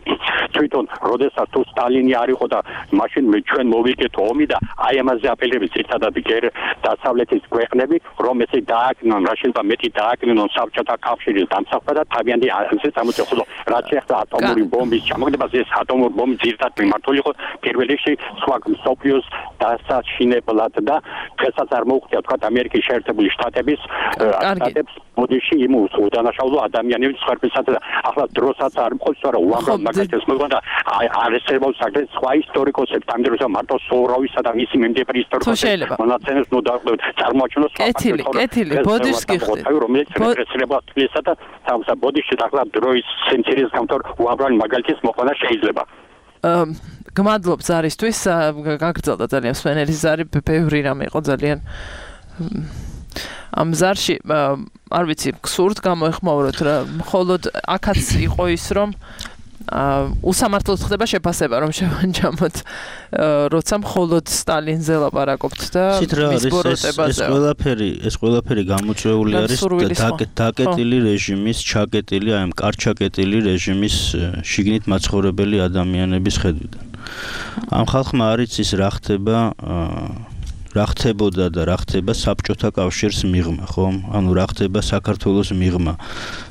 თვითონ როდესაც თუ სტალინი არ იყო და მაშინ ჩვენ მოვიგეთ ომი და აი ამაზე აპელირებს ერთადად გერ დასავლეთის ქვეყნები რომ ესე დააკნონ რაშენდა მეტი დააკნონ საბჭოთა კავშირის დამსახურება და თავიანთი ასე სამოწეხულო რაც ახლა ატომური ბომბის ჩამოგდებას ეს ატომური ბომბი ერთად მიმართული იყო პირველ რიგში სხვა მსოფლიოს დასაშინებლად და დღესაც არ მოუხდია თქვა ამერიკის შეერთებული შტატების შტატებს ბოდიში იმ უდანაშაულო ადამიანების ხარბისათა და ახლა დროსაც არ მყავს რა უამრავ მაგალითს მოგონდა არესებობს აგრეთ სხვა ისტორიკოსებს ამ დროს მარტო სოურავისა და მისი მიმდევარი ისტორიკოსების მონაცემებს ნუ დავყევთ წარმოაჩინოს კეთილი კეთილი ბოდიშს გიხდით რომელიც რეპრესირება თბილისსა და სამსა ბოდიში ახლა დროის სენცერის გამთორ უამრავი მაგალითის მოყვანა შეიძლება გმადლობ ზარისთვის გაგრძელდა ძალიან სვენელი ზარი ბევრი რამე იყო ძალიან ამ ზარში არ ვიცი გსურთ გამოეხმაუროთ რა მხოლოდ აქაც იყო ის რომ უსამართლოდ ხდება შეფასება რომ შევანჯამოთ როცა მხოლოდ სტალინზე ლაპარაკობთ და მის ბოროტებაზე ეს ყველაფერი ეს ყველაფერი გამოწვეული არის დაკეტილი რეჟიმის ჩაკეტილი აი ამ კარჩაკეტილი რეჟიმის შიგნით მაცხოვრებელი ადამიანების ხედვიდან ამ ხალხმა არ იცის რა ხდება რა ხდებოდა და რა ხდება საბჭოთა კავშირის მიღმა, ხო? ანუ რა ხდება საქართველოს მიღმა.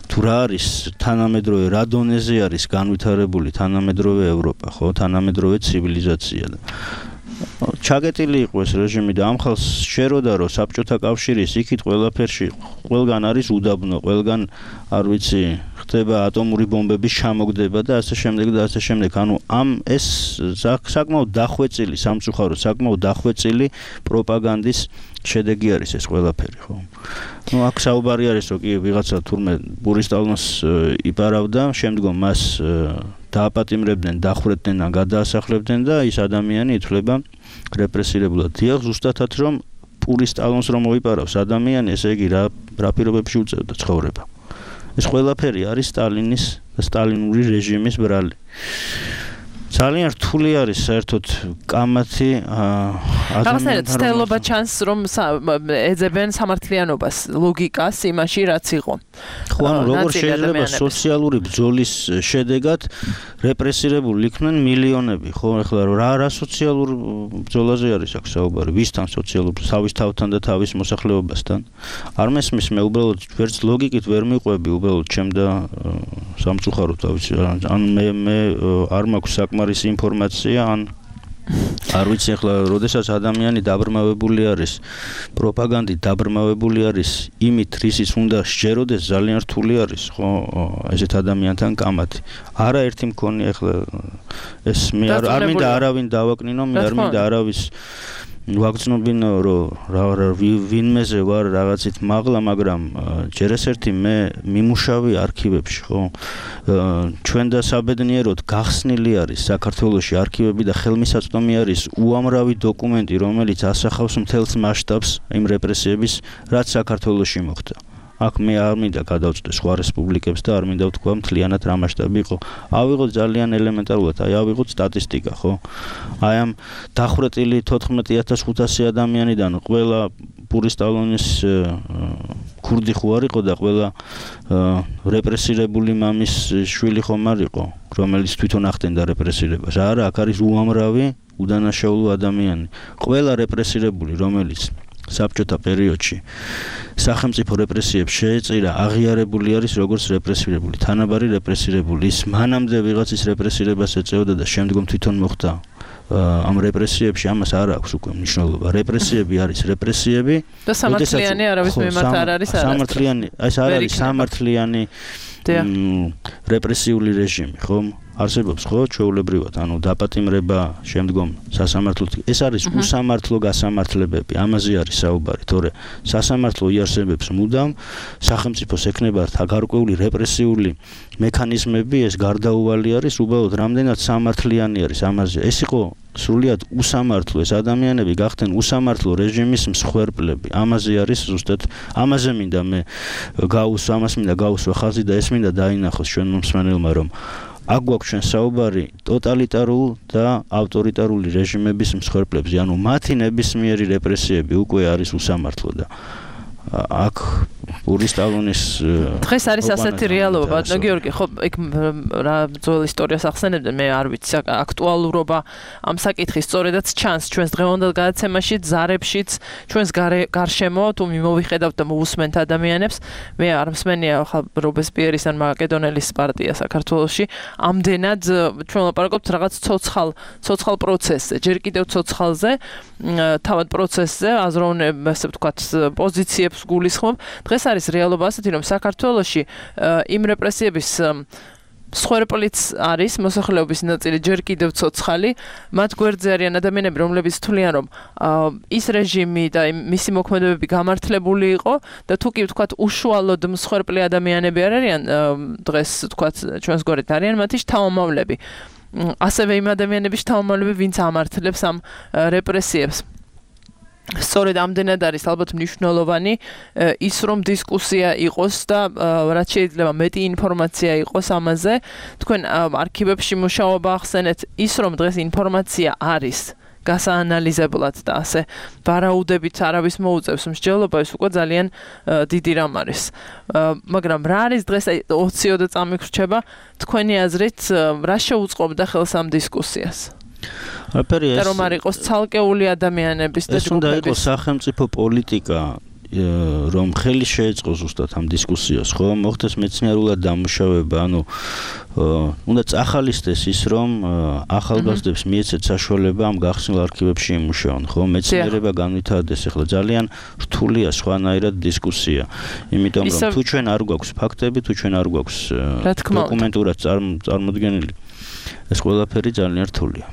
თუ რა არის თანამედროვე რა დონეზე არის განვითარებული თანამედროვე ევროპა, ხო? თანამედროვე ცივილიზაცია და ჩაგეტილი იყო ეს რეჟიმი და ამ ხალხს შეეროდა რომ საბჭოთა კავშირის იქით ყველაფერში ყველგან არის უდაბნო, ყველგან არ ვიცი ხდება ატომური ბომბების ჩამოგდება და ასე შემდეგ და ასე შემდეგ. ანუ ამ ეს საკმაოდ დახვეწილი სამწუხაროდ საკმაოდ დახვეწილი პროპაგანდის შედეგი არის ეს ყველაფერი, ხო? ნუ აქ საუბარი არის რომ კი ვიღაცა თურმე ბურისტალონს იპარავდა, შემდგომ მას დააპატიმრებდნენ, დახვრებდნენ და გადაასახლებდნენ და ის ადამიანი ითვლება რეპრესირებულად. დიახ, ზუსტადად რომ პურისტალონს რომ მოიპარავს ადამიანი, ესე იგი რა რა პირობებში უწევდა ცხოვრება. ეს ყველაფერი არის სტალინის და სტალინური რეჟიმის ბრალი. ძალიან რთული არის საერთოდ კამათი ადამიანთა ცდელობა ჩანს რომ ეძებენ სამართლიანობას ლოგიკას იმაში რაც იყო. ხო, ანუ როგორ შეიძლება სოციალური ბრძოლის შედეგად რეპრესირებული იქნენ მილიონები, ხო? ეხლა რა რა სოციალურ ბრძოლაზე არის აქ საუბარი? ვისთან სოციალურ თავის თავთან და თავის მოსახლეობასთან? არ მესმის მე უბრალოდ ვერც ლოგიკით ვერ მიყვები უბრალოდ ჩემ და სამწუხაროდ თავის ან მე მე არ მაქვს საკმარისი არის ინფორმაცია ან არ ვიცი ახლა როდესაც ადამიანი დაბრმავებული არის პროპაგანდით დაბრმავებული არის იმით რისიც უნდა შეეროდეს ძალიან რთული არის ხო ესეთ ადამიანთან კამათი არაერთი მქონი ახლა ეს მე არ მინდა არავინ დავაკნინო მე არ მინდა არავის ვაგრძნობინო რომ ვინმეზე ვარ რაღაცით მაღლა მაგრამ ჯერ ეს ერთი მე მიმუშავი არქივებში ხო ჩვენ და საბედნიეროდ გახსნილი არის საქართველოში არქივები და ხელმისაწვდომი არის უამრავი დოკუმენტი რომელიც ასახავს მთელს მასშტაბს იმ რეპრესიების რაც საქართველოში მოხდა აქ მე არ მინდა გადავწყვეტ სხვა რესპუბლიკებს და არ მინდა ვთქვა მთლიანად რა მასშტაბი იყო. ავიღოთ ძალიან ელემენტარულად, აი ავიღოთ სტატისტიკა, ხო? აი ამ დახრეტილი თოთხმეტი ათას ხუთასი ადამიანიდან ყველა პურისტალონის ქურდი ხო არ იყო და ყველა რეპრესირებული მამის შვილი ხომ არ იყო, რომელიც თვითონ ახდენდა რეპრესირებას. არა, აქ არის უამრავი უდანაშაულო ადამიანი. ყველა რეპრესირებული, რომელიც საბჭოთა პერიოდში სახელმწიფო რეპრესიებს შეეწირა აღიარებული არის როგორც რეპრესირებული, თანაბარი რეპრესირებული. ის მანამდე ვიღაცის რეპრესირებას ეწეოდა და შემდგომ თვითონ მოხდა ამ რეპრესიებში, ამას არ აქვს უკვე მნიშვნელობა. რეპრესიები არის რეპრესიები და სამართლიანი არავის მიმართ არ არის არა. სამართლიანი, ეს არ არის სამართლიანი რეპრესიული რეჟიმი, ხო? არსებობს ხო ჩვეულებრივად, ანუ დაპატიმრება, შემდგომ სასამართლო. ეს არის უსამართლო გასამართლებები, ამაზე არის საუბარი, თორე სასამართლო იარსებებს მუდამ, სახელმწიფოს ექნება გარკვეული რეპრესიული მექანიზმები, ეს გარდაუვალი არის, უბრალოდ რამდენად სამართლიანი არის ამაზე. ეს იყო სრულიად უსამართლო, ეს ადამიანები გახდნენ უსამართლო რეჟიმის მსხვერპლები. ამაზე არის ზუსტად, ამაზე მინდა მე გაუსვა, ამას მინდა გაუსვა ხაზი და ეს მინდა დაინახოს ჩვენ მომსმენელმა, რომ აქ გვაქვს ჩვენ საუბარი ტოტალიტარულ და ავტორიტარული რეჟიმების მსხვერპლებზე, ანუ მათი ნებისმიერი რეპრესიები უკვე არის უსამართლო და აქ პურისტალონის დღეს არის ასეთი რეალობა, ბატონო გიორგი, ხო, იქ რა ძველ ისტორიას ახსენებდნენ, მე არ ვიცი, აქტუალურობა ამ საკითხის სწორედაც ჩანს ჩვენს დღევანდელ გადაცემაში, ზარებშიც, ჩვენს გარშემო, თუ მოვიხედავთ და მოусმენთ ადამიანებს, მე არ მსმენია ხა რობესპიერის ან მაკედონელის პარტია საქართველოში, ამდენად ჩვენ ლაპარაკობთ რაღაც ცოცხალ, ცოცხალ პროცესზე, ჯერ კიდევ ცოცხალზე, თავად პროცესზე, აზროვნებ, ასე ვთქვათ, პოზიციებს გულისხმობ. დღეს არის რეალობა ასეთი, რომ საქართველოში იმ რეპრესიების მსხვერპლიც არის მოსახლეობის ნაწილი ჯერ კიდევ ცოცხალი, მათ გვერდზე არიან ადამიანები, რომლებიც თვლიან, რომ ის რეჟიმი და მისი მოქმედებები გამართლებული იყო და თუ კი ვთქვათ უშუალოდ მსხვერპლი ადამიანები არ არიან დღეს ვთქვათ ჩვენს გვერდით არიან მათი შთამომავლები. ასევე იმ ადამიანების შთამომავლები, ვინც ამართლებს ამ რეპრესიებს. სწორედ ამდენად არის ალბათ მნიშვნელოვანი ის რომ დისკუსია იყოს და რაც შეიძლება მეტი ინფორმაცია იყოს ამაზე. თქვენ არქივებში მუშაობა ახსენეთ, ის რომ დღეს ინფორმაცია არის გასაანალიზებლად და ასე ვარაუდებით არავის მოუწევს მსჯელობა, ეს უკვე ძალიან დიდი რამ არის. მაგრამ რა არის დღეს ოციოდე წამიხრჩება თქვენი აზრით, რა შეუწყობდა ხელს ამ დისკუსიას? და რომ არ იყოს ცალკეული ადამიანების და ეს უნდა იყოს სახელმწიფო პოლიტიკა, რომ ხელი შეეწყოს ზუსტად ამ დისკუსიას, ხო? მოხდეს მეცნიერულად დამუშავება, ანუ უნდა წახალისდეს ის, რომ ახალგაზრდებს მიეცეთ საშუალება ამ გახსნილ არქივებში იმუშაონ, ხო? მეცნიერება განვითარდეს, ახლა ძალიან რთულია სხვანაირად დისკუსია. იმიტომ რომ თუ ჩვენ არ გვაქვს ფაქტები, თუ ჩვენ არ გვაქვს დოკუმენტურად წარმოდგენილი ეს ყველაფერი ძალიან რთულია.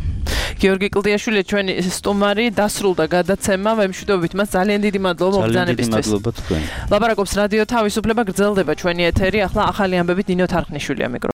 გიორგი კლდიაშვილი ჩვენი სტუმარი დასრულდა გადაცემა, ვემშვიდობებით მას ძალიან დიდი მადლობა მოგზაურობისთვის. ძალიან დიდი მადლობა თქვენ. ლაპარაკობს რადიო თავისუფლება, გრძელდება ჩვენი ეთერი, ახლა ახალი ამბებით ნინო თარხნიშვილია მიკროფონში.